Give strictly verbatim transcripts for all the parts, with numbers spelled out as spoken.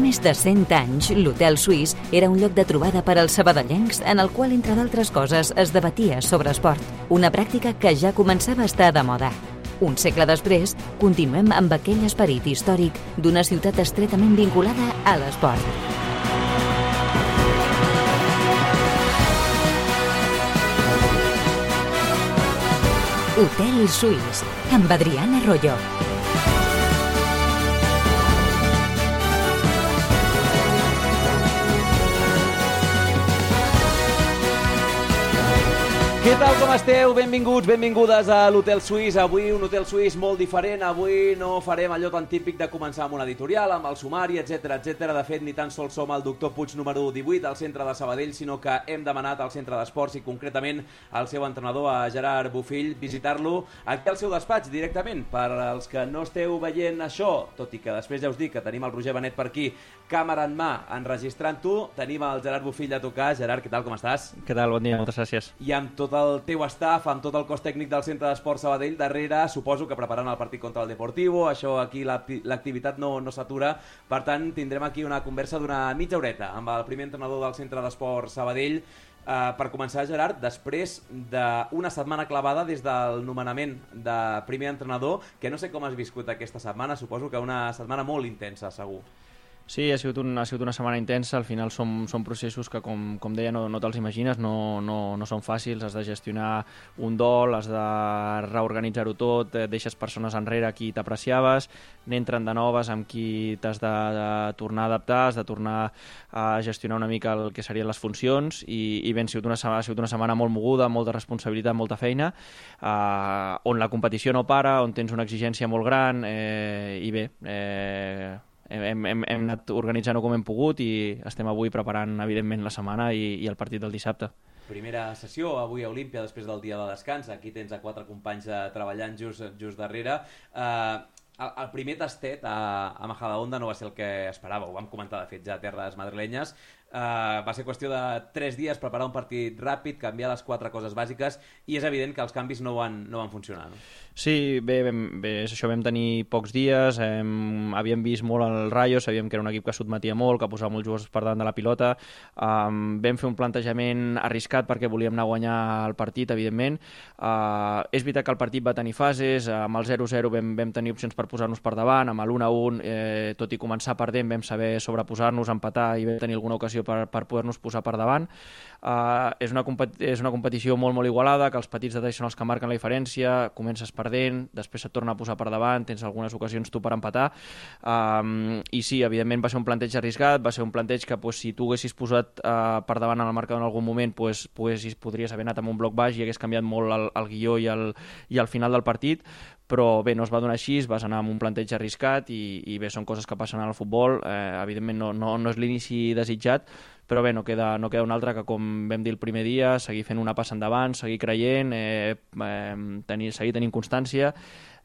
més de cent anys, l'Hotel Suís era un lloc de trobada per als sabadellencs en el qual, entre d'altres coses, es debatia sobre esport, una pràctica que ja començava a estar de moda. Un segle després, continuem amb aquell esperit històric d'una ciutat estretament vinculada a l'esport. Hotel Suís, amb Adrián Arroyo. Què tal, com esteu? Benvinguts, benvingudes a l'Hotel Suís. Avui un Hotel Suís molt diferent. Avui no farem allò tan típic de començar amb una editorial, amb el sumari, etcètera, etcètera. De fet, ni tan sols som el doctor Puig número divuit al centre de Sabadell, sinó que hem demanat al centre d'esports i concretament al seu entrenador, a Gerard Bofill, visitar-lo aquí al seu despatx directament. Per als que no esteu veient això, tot i que després ja us dic que tenim el Roger Benet per aquí, càmera en mà, enregistrant-ho, tenim el Gerard Bofill a tocar. Gerard, què tal, com estàs? Què tal, bon dia, moltes gràcies. I amb tot el teu staff, amb tot el cos tècnic del Centre d'Esports Sabadell darrere, suposo que preparant el partit contra el Deportivo, això aquí l'activitat no, no s'atura, per tant tindrem aquí una conversa d'una mitja horeta amb el primer entrenador del Centre d'Esports Sabadell. Uh, per començar, Gerard, després d'una setmana clavada des del nomenament de primer entrenador, que no sé com has viscut aquesta setmana, suposo que una setmana molt intensa, segur. Sí, ha sigut, un, ha sigut una setmana intensa. Al final són, són processos que, com, com deia, no, no te'ls imagines, no, no, no són fàcils. Has de gestionar un dol, has de reorganitzar-ho tot, deixes persones enrere a qui t'apreciaves, n'entren de noves amb qui t'has de, de tornar a adaptar, has de tornar a gestionar una mica el que serien les funcions i, i bé, ha sigut, una, ha sigut una setmana molt moguda, molta responsabilitat, molta feina, eh, on la competició no para, on tens una exigència molt gran eh, i bé... Eh, Hem, hem, hem anat organitzant-ho com hem pogut i estem avui preparant, evidentment, la setmana i, i el partit del dissabte. Primera sessió avui a Olímpia després del dia de descans. Aquí tens a quatre companys treballant just, just darrere. Uh, el, el primer tastet a, a Majadahonda no va ser el que esperava, ho vam comentar de fet ja a terres madrilenyes. Uh, va ser qüestió de tres dies preparar un partit ràpid, canviar les quatre coses bàsiques i és evident que els canvis no van, no van funcionar, no? Sí, bé, bé, bé, és això, vam tenir pocs dies, hem, havíem vist molt el Rayo, sabíem que era un equip que sotmetia molt, que posava molts jugadors per davant de la pilota, um, vam fer un plantejament arriscat perquè volíem anar a guanyar el partit, evidentment. Uh, és veritat que el partit va tenir fases, amb el zero zero vam, vam tenir opcions per posar-nos per davant, amb l'u a u, eh, tot i començar perdent, vam saber sobreposar-nos, empatar i vam tenir alguna ocasió per, per poder-nos posar per davant. Uh, és, una és una competició molt, molt igualada, que els petits detalls són els que marquen la diferència, comences perdent, després et torna a posar per davant, tens algunes ocasions tu per empatar, um, i sí, evidentment va ser un planteig arriscat, va ser un planteig que pues, si tu haguessis posat uh, per davant en el marcador en algun moment, pues, pues, podries haver anat amb un bloc baix i hagués canviat molt el, el guió i el, i el final del partit, però bé, no es va donar així, vas anar amb un planteig arriscat i, i bé, són coses que passen al futbol, eh, evidentment no, no, no és l'inici desitjat, però bé, no queda, no queda un altre que, com vam dir el primer dia, seguir fent una passa endavant, seguir creient, eh, eh, tenir, seguir tenint constància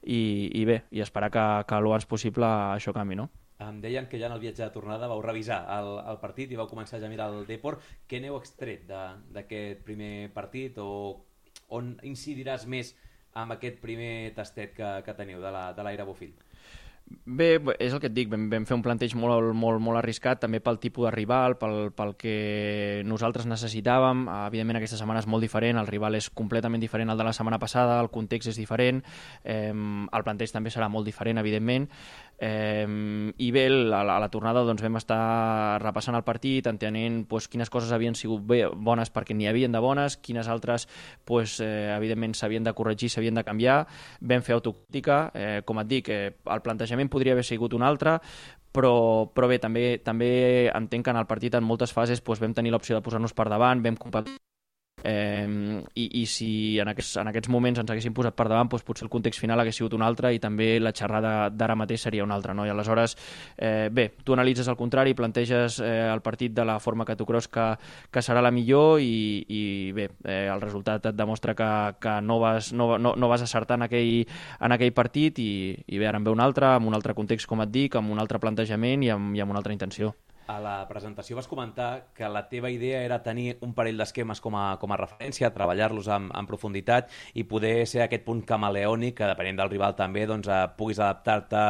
i, i bé, i esperar que, que el abans possible això canvi, no? Em deien que ja en el viatge de tornada vau revisar el, el partit i vau començar ja a mirar el Depor. Què n'heu extret d'aquest primer partit o on incidiràs més amb aquest primer tastet que, que teniu de l'Aire Bofill? Bé, és el que et dic, vam, vam fer un planteig molt, molt, molt arriscat, també pel tipus de rival, pel, pel que nosaltres necessitàvem. Evidentment aquesta setmana és molt diferent, el rival és completament diferent al de la setmana passada, el context és diferent, eh, el planteig també serà molt diferent, evidentment, eh, i bé, a la, a la tornada doncs, vam estar repassant el partit, entenent pues, quines coses havien sigut bé, bones perquè n'hi havien de bones, quines altres pues, eh, evidentment s'havien de corregir, s'havien de canviar, vam fer autocrítica, eh, com et dic, eh, el plantejament podria haver sigut un altre, però, però bé, també, també entenc que en el partit en moltes fases doncs, vam tenir l'opció de posar-nos per davant, vam competir Eh, i, i si en aquests, en aquests moments ens haguéssim posat per davant, doncs potser el context final hagués sigut un altre i també la xerrada d'ara mateix seria una altra, no? I aleshores, eh, bé, tu analitzes el contrari, planteges eh, el partit de la forma que tu creus que, que serà la millor i, i bé, eh, el resultat et demostra que, que no, vas, no, no, no vas acertar en aquell, en aquell partit i, i bé, ara en ve un altre, amb un altre context, com et dic, amb un altre plantejament i amb, i amb una altra intenció. A la presentació vas comentar que la teva idea era tenir un parell d'esquemes com a, com a referència, treballar-los en, en profunditat i poder ser aquest punt camaleònic que, depenent del rival també, doncs, eh, puguis adaptar-te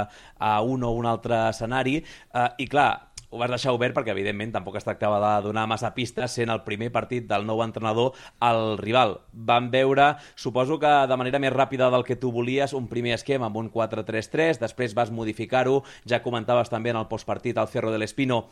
a un o un altre escenari. Eh, I clar, ho vas deixar obert perquè, evidentment, tampoc es tractava de donar massa pistes, sent el primer partit del nou entrenador al rival. Van veure, suposo que de manera més ràpida del que tu volies, un primer esquema amb un quatre tres tres, després vas modificar-ho, ja comentaves també en el postpartit al Cerro del Espino,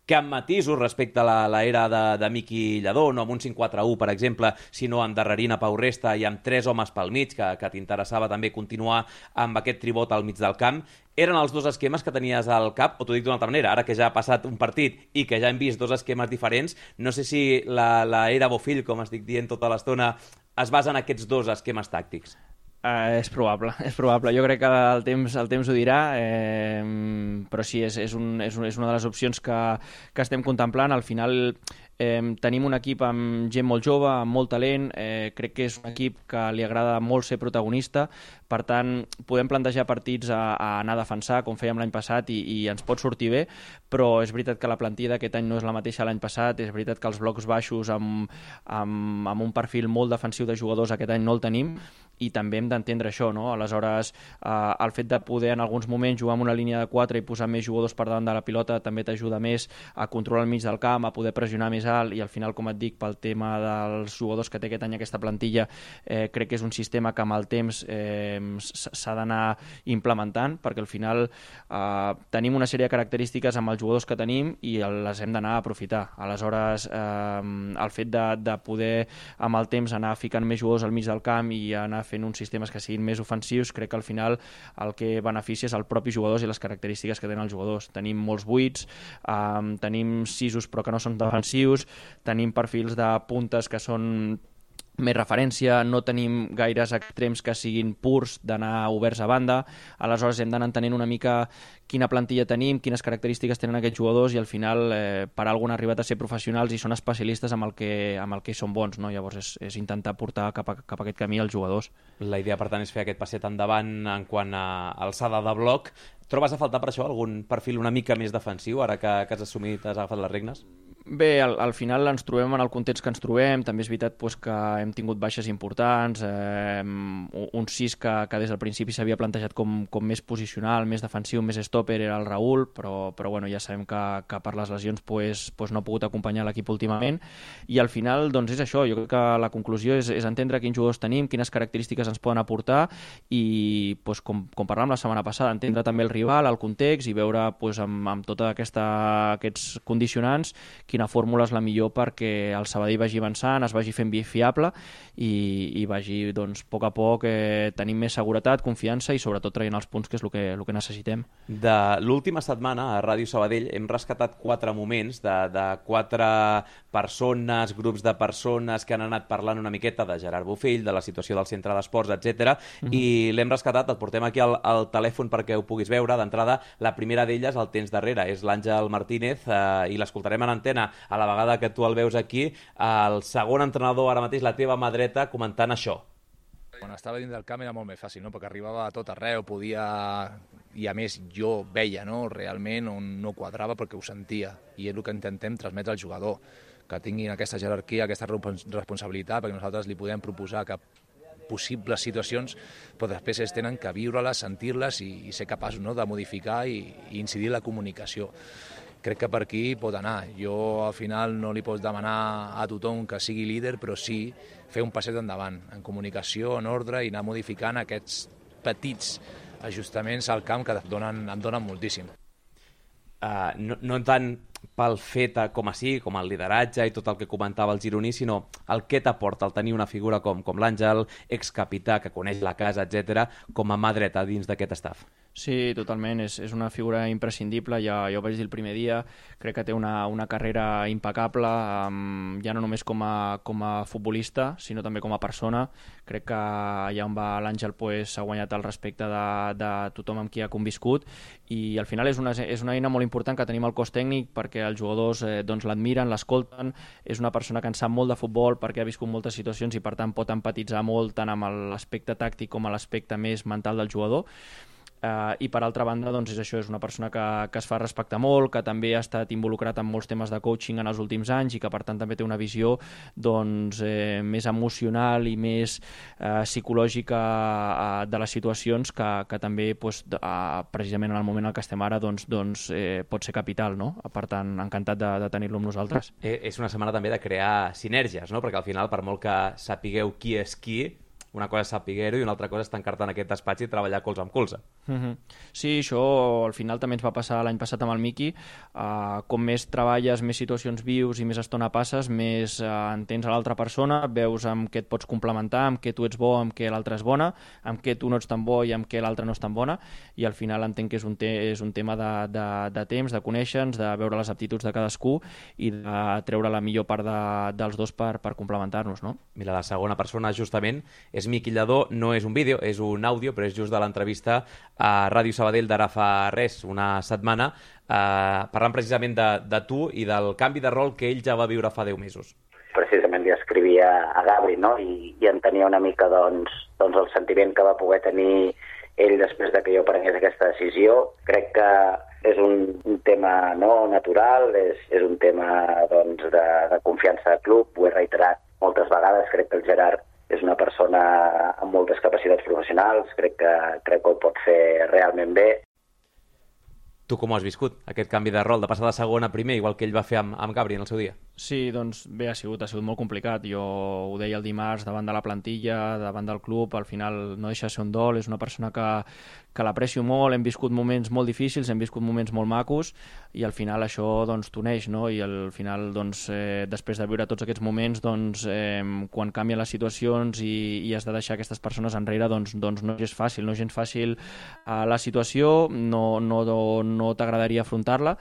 que amb matisos respecte a l'era de, de Miqui Lladó, no amb un cinc quatre u, per exemple, sinó amb Darrerina Pau Resta i amb tres homes pel mig, que, que t'interessava també continuar amb aquest tribot al mig del camp. Eren els dos esquemes que tenies al cap, o t'ho dic d'una altra manera, ara que ja ha passat un partit i que ja hem vist dos esquemes diferents, no sé si la, la era Bofill, com estic dient tota l'estona, es basa en aquests dos esquemes tàctics. Uh, és probable, és probable. Jo crec que el temps, el temps ho dirà, eh, però sí, és, és, un, és, un, és una de les opcions que, que estem contemplant. Al final eh, tenim un equip amb gent molt jove, amb molt talent, eh, crec que és un equip que li agrada molt ser protagonista, per tant, podem plantejar partits a, a anar a defensar, com fèiem l'any passat, i, i ens pot sortir bé, però és veritat que la plantilla d'aquest any no és la mateixa l'any passat, és veritat que els blocs baixos amb, amb, amb un perfil molt defensiu de jugadors aquest any no el tenim, i també hem d'entendre això, no? Aleshores, eh, el fet de poder en alguns moments jugar amb una línia de quatre i posar més jugadors per davant de la pilota també t'ajuda més a controlar el mig del camp, a poder pressionar més alt, i al final, com et dic, pel tema dels jugadors que té aquest any aquesta plantilla, eh, crec que és un sistema que amb el temps eh, s'ha d'anar implementant, perquè al final eh, tenim una sèrie de característiques amb els jugadors que tenim i les hem d'anar a aprofitar. Aleshores, eh, el fet de, de poder amb el temps anar ficant més jugadors al mig del camp i anar fent uns sistemes que siguin més ofensius, crec que al final el que beneficia és el propi jugadors i les característiques que tenen els jugadors. Tenim molts buits, eh, tenim sisos però que no són defensius, tenim perfils de puntes que són més referència, no tenim gaires extrems que siguin purs d'anar oberts a banda, aleshores hem d'anar entenent una mica quina plantilla tenim, quines característiques tenen aquests jugadors, i al final eh, per algun han arribat a ser professionals i són especialistes amb el que, amb el que són bons, no? Llavors és, és intentar portar cap a, cap a aquest camí els jugadors. La idea, per tant, és fer aquest passet endavant en quant a alçada de bloc. Trobes a faltar per això algun perfil una mica més defensiu, ara que, que has assumit, has agafat les regnes? Bé, al, al final ens trobem en el context que ens trobem, també és veritat pues, que hem tingut baixes importants, eh, un sis que, que des del principi s'havia plantejat com, com més posicional, més defensiu, més stopper, era el Raül, però, però bueno, ja sabem que, que per les lesions pues, pues no ha pogut acompanyar l'equip últimament, i al final doncs és això, jo crec que la conclusió és, és entendre quins jugadors tenim, quines característiques ens poden aportar, i pues, com, com parlàvem la setmana passada, entendre també el rival, el context, i veure pues, amb, amb tots aquests condicionants quina fórmula és la millor perquè el Sabadell vagi avançant, es vagi fent fiable i, i vagi, doncs, a poc a poc eh, tenint més seguretat, confiança i sobretot traient els punts, que és el que, el que necessitem. De l'última setmana a Ràdio Sabadell hem rescatat quatre moments de, de quatre persones, grups de persones que han anat parlant una miqueta de Gerard Bofill, de la situació del centre d'esports, etcètera. Mm-hmm. I l'hem rescatat, et portem aquí al, al telèfon perquè ho puguis veure. D'entrada, la primera d'elles el tens darrere, és l'Àngel Martínez, eh, i l'escoltarem en antena a la vegada que tu el veus aquí, el segon entrenador, ara mateix la teva mà dreta, comentant això. Quan estava dins del camp era molt més fàcil, no? Perquè arribava a tot arreu, podia... I a més jo veia, no? Realment on no quadrava perquè ho sentia, i és el que intentem transmetre al jugador, que tinguin aquesta jerarquia, aquesta responsabilitat, perquè nosaltres li podem proposar que possibles situacions, però després ells tenen que viure-les, sentir-les i, i ser capaços, no? De modificar i, i incidir en la comunicació. Crec que per aquí pot anar. Jo al final no li pots demanar a tothom que sigui líder, però sí fer un passet endavant, en comunicació, en ordre, i anar modificant aquests petits ajustaments al camp que et donen, em donen moltíssim. Uh, no, no tant pel fet com a sí, com el lideratge i tot el que comentava el gironí, sinó el que t'aporta el tenir una figura com, com l'Àngel, excapità, que coneix la casa, etcètera, com a mà dreta dins d'aquest staff. Sí, totalment, és, és una figura imprescindible, ja, ja ho vaig dir el primer dia, crec que té una, una carrera impecable, um, ja no només com a, com a futbolista, sinó també com a persona. Crec que allà on va l'Àngel pues, ha guanyat el respecte de, de tothom amb qui ha conviscut, i al final és una, és una eina molt important que tenim al cos tècnic perquè els jugadors eh, doncs, l'admiren, l'escolten, és una persona que en sap molt de futbol perquè ha viscut moltes situacions i per tant pot empatitzar molt tant amb l'aspecte tàctic com a l'aspecte més mental del jugador. Uh, I per altra banda, doncs, és això, és una persona que, que es fa respectar molt, que també ha estat involucrat en molts temes de coaching en els últims anys i que per tant també té una visió doncs, eh, més emocional i més eh, psicològica eh, de les situacions que, que també doncs, eh, precisament en el moment en què estem ara doncs, doncs, eh, pot ser capital, no? Per tant, encantat de, de tenir-lo amb nosaltres. Eh, és una setmana també de crear sinergies, no? Perquè al final, per molt que sapigueu qui és qui, una cosa és saber-ho i una altra cosa és tancar-te en aquest despatx i treballar colze amb colze. Mm-hmm. Sí, això al final també ens va passar l'any passat amb el Miqui. Uh, com més treballes, més situacions vius i més estona passes, més uh, entens a l'altra persona, veus amb què et pots complementar, amb què tu ets bo, amb què l'altra és bona, amb què tu no ets tan bo i amb què l'altra no és tan bona, i al final entenc que és un, te és un tema de, de, de temps, de conèixer-nos, de veure les aptituds de cadascú i de treure la millor part de, dels dos per, per complementar-nos, no? Mira, la segona persona justament és Miqui Lladó, no és un vídeo, és un àudio, però és just de l'entrevista a Ràdio Sabadell d'ara fa res, una setmana, eh, parlant precisament de, de tu i del canvi de rol que ell ja va viure fa deu mesos. Precisament li escrivia a Gabri, no? I, i entenia una mica doncs, doncs el sentiment que va poder tenir ell després de que jo prengués aquesta decisió. Crec que és un, un tema no natural, és, és un tema doncs, de, de confiança de club, ho he reiterat moltes vegades, crec que el Gerard és una persona amb moltes capacitats professionals, crec que, crec que ho pot fer realment bé. Tu com ho has viscut, aquest canvi de rol, de passar de segon a primer, igual que ell va fer amb, amb Gabri en el seu dia? Sí, doncs bé, ha sigut, ha sigut molt complicat. Jo ho deia el dimarts davant de la plantilla, davant del club, al final no deixa de ser un dol, és una persona que, que l'aprecio molt, hem viscut moments molt difícils, hem viscut moments molt macos i al final això doncs t'uneix, no? I al final doncs eh, després de viure tots aquests moments doncs eh, quan canvien les situacions i, i has de deixar aquestes persones enrere doncs, doncs no és fàcil, no és gens fàcil eh, la situació, no, no, no t'agradaria afrontar-la,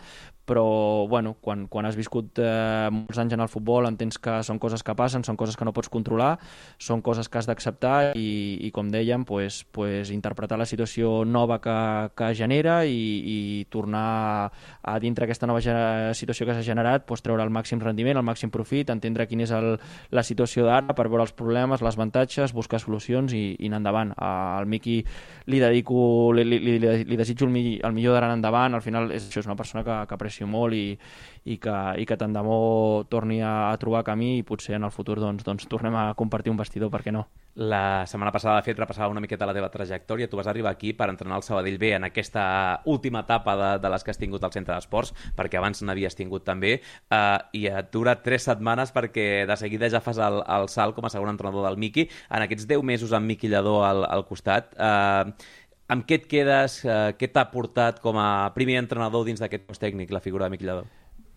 però bueno, quan, quan has viscut eh, molts anys en el futbol entens que són coses que passen, són coses que no pots controlar, són coses que has d'acceptar i, i com dèiem, pues, pues, interpretar la situació nova que, que genera i, i tornar a dintre aquesta nova situació que s'ha generat, pues, treure el màxim rendiment, el màxim profit, entendre quina és el, la situació d'ara per veure els problemes, les avantatges, buscar solucions i, i anar endavant. Al Miqui li dedico, li, li, li, li desitjo el, mi, el millor d'anar endavant, al final és, això és una persona que, que aprecio molt i, i que, i que tant de bo torni a, a trobar camí i potser en el futur doncs, doncs tornem a compartir un vestidor, per què no? La setmana passada, de fet, repassava una miqueta la teva trajectòria. Tu vas arribar aquí per entrenar el Sabadell B en aquesta última etapa de, de les que has tingut al centre d'esports, perquè abans n'havies tingut també, eh, i et dura tres setmanes perquè de seguida ja fas el, el salt com a segon entrenador del Miqui. En aquests deu mesos amb Miqui Lladó al, al costat, eh, amb què et quedes? Eh, què t'ha portat com a primer entrenador dins d'aquest cos tècnic, la figura de Miqui Lladó?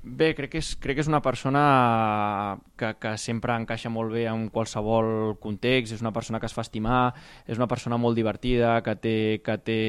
Bé, crec que és, crec que és una persona que, que sempre encaixa molt bé en qualsevol context, és una persona que es fa estimar, és una persona molt divertida, que té, que té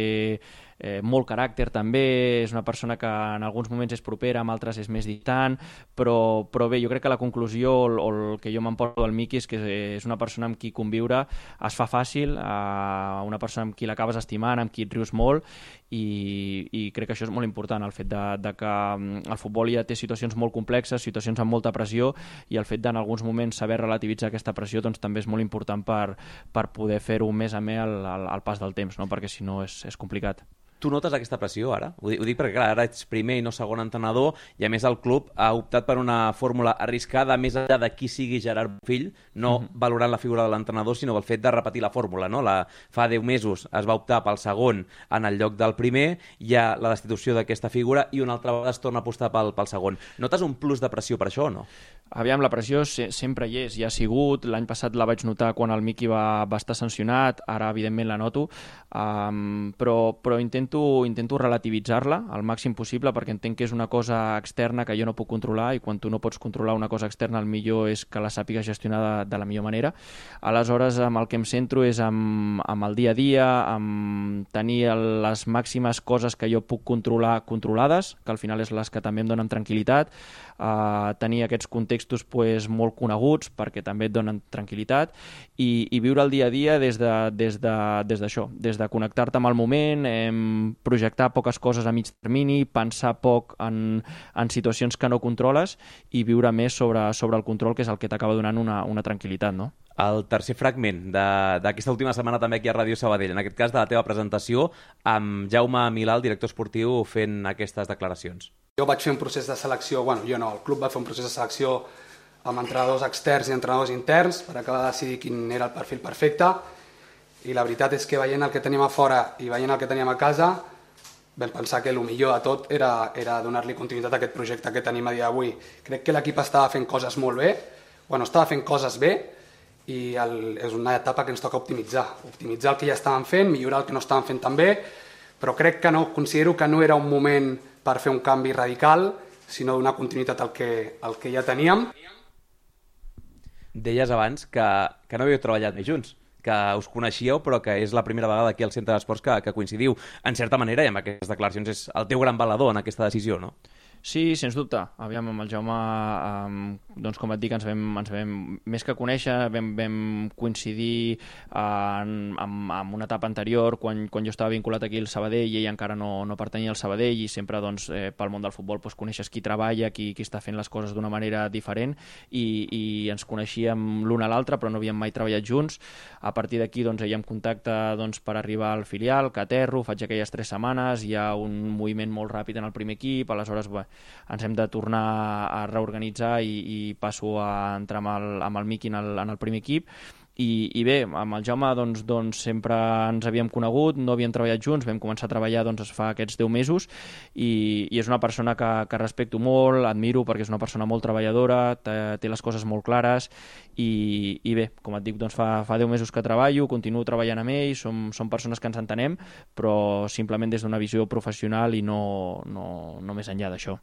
eh, molt caràcter també, és una persona que en alguns moments és propera, amb altres és més distant, però, però bé, jo crec que la conclusió o, o el que jo m'emporto del Miqui és que és una persona amb qui conviure es fa fàcil, eh, una persona amb qui l'acabes estimant, amb qui et rius molt i, i crec que això és molt important, el fet de, de que el futbol ja té situacions molt complexes, situacions amb molta pressió i el fet d'en alguns moments saber relativitzar aquesta pressió doncs, també és molt important per, per poder fer-ho més amè al, al, al pas del temps, no? Perquè si no és, és complicat. Tu notes aquesta pressió ara? Ho dic, ho dic perquè clar, ara ets primer i no segon entrenador i a més el club ha optat per una fórmula arriscada més enllà de qui sigui Gerard Bofill, no uh-huh. valorant la figura de l'entrenador sinó el fet de repetir la fórmula, no? La, fa deu mesos es va optar pel segon en el lloc del primer, hi ha la destitució d'aquesta figura i una altra vegada es torna a apostar pel, pel segon. Notes un plus de pressió per això o no? Aviam, la pressió se, sempre hi és, hi ha sigut, l'any passat la vaig notar quan el Miqui va, va estar sancionat, ara evidentment la noto, um, però, però intento, intento relativitzar-la al màxim possible perquè entenc que és una cosa externa que jo no puc controlar i quan tu no pots controlar una cosa externa el millor és que la sàpigues gestionar de, de la millor manera. Aleshores, amb el que em centro és amb, amb el dia a dia, amb tenir les màximes coses que jo puc controlar controlades, que al final és les que també em donen tranquil·litat, Uh, tenir aquests contextos pues, molt coneguts perquè també et donen tranquil·litat i, i viure el dia a dia des de, des de, des d'això, des de connectar-te amb el moment, eh, projectar poques coses a mig termini, pensar poc en, en situacions que no controles i viure més sobre, sobre el control, que és el que t'acaba donant una, una tranquil·litat, no? el tercer fragment d'aquesta última setmana també aquí a Ràdio Sabadell, en aquest cas de la teva presentació amb Jaume Milà, el director esportiu, fent aquestes declaracions. Jo vaig fer un procés de selecció, bueno, jo no, el club va fer un procés de selecció amb entrenadors externs i entrenadors interns per acabar de decidir quin era el perfil perfecte, i la veritat és que veient el que teníem a fora i veient el que teníem a casa vam pensar que el millor de tot era, era donar-li continuïtat a aquest projecte que tenim a dia d'avui. Crec que l'equip estava fent coses molt bé, bueno, estava fent coses bé, i el, és una etapa que ens toca optimitzar. Optimitzar el que ja estàvem fent, millorar el que no estàvem fent tan bé, però crec que no, considero que no era un moment per fer un canvi radical, sinó donar continuïtat al que, al que ja teníem. Deies abans que, que no havíeu treballat més junts, que us coneixíeu, però que és la primera vegada aquí al Centre d'Esports que, que coincidiu. En certa manera, i amb aquestes declaracions, és el teu gran valedor en aquesta decisió, no? Sí, sens dubte. Aviam, amb el Jaume, eh, doncs com et dic, ens vam, ens vam més que conèixer, vam, vam coincidir en, en, en una etapa anterior, quan, quan jo estava vinculat aquí al Sabadell i ell encara no, no pertanyia al Sabadell, i sempre doncs, eh, pel món del futbol doncs, coneixes qui treballa, qui, qui està fent les coses d'una manera diferent, i, i ens coneixíem l'un a l'altre, però no havíem mai treballat junts. A partir d'aquí doncs, ell em contacta doncs, per arribar al filial, que aterro, faig aquelles tres setmanes, hi ha un moviment molt ràpid en el primer equip, aleshores bé, ens hem de tornar a reorganitzar i, i passo a entrar amb el, amb el Miqui en el, en el primer equip. I, i bé, amb el Jaume doncs, doncs, sempre ens havíem conegut, no havíem treballat junts, vam començar a treballar doncs, fa aquests deu mesos, i, i és una persona que, que respecto molt, admiro perquè és una persona molt treballadora, té, té les coses molt clares, i, i bé, com et dic, doncs, fa, fa deu mesos que treballo, continuo treballant amb ell, som, som persones que ens entenem, però simplement des d'una visió professional i no, no, no més enllà d'això.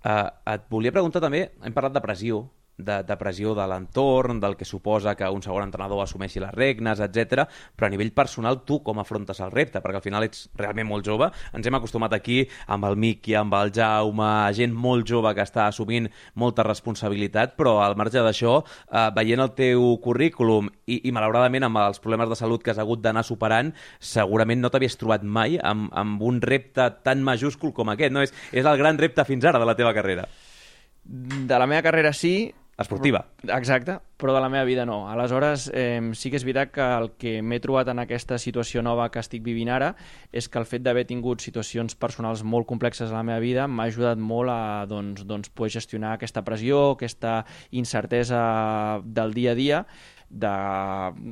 Uh, et volia preguntar també, hem parlat de pressió, de, de pressió de l'entorn, del que suposa que un segon entrenador assumeixi les regnes, etcètera. Però a nivell personal, tu com afrontes el repte? Perquè al final ets realment molt jove. Ens hem acostumat aquí amb el Miqui, amb el Jaume, gent molt jove que està assumint molta responsabilitat, però al marge d'això, eh, veient el teu currículum i, i malauradament amb els problemes de salut que has hagut d'anar superant, segurament no t'havies trobat mai amb, amb un repte tan majúscul com aquest, no? És, és el gran repte fins ara de la teva carrera. De la meva carrera sí. Esportiva. Exacte, però de la meva vida no. Aleshores, eh, sí que és veritat que el que m'he trobat en aquesta situació nova que estic vivint ara és que el fet d'haver tingut situacions personals molt complexes a la meva vida m'ha ajudat molt a doncs, doncs, poder gestionar aquesta pressió, aquesta incertesa del dia a dia, de,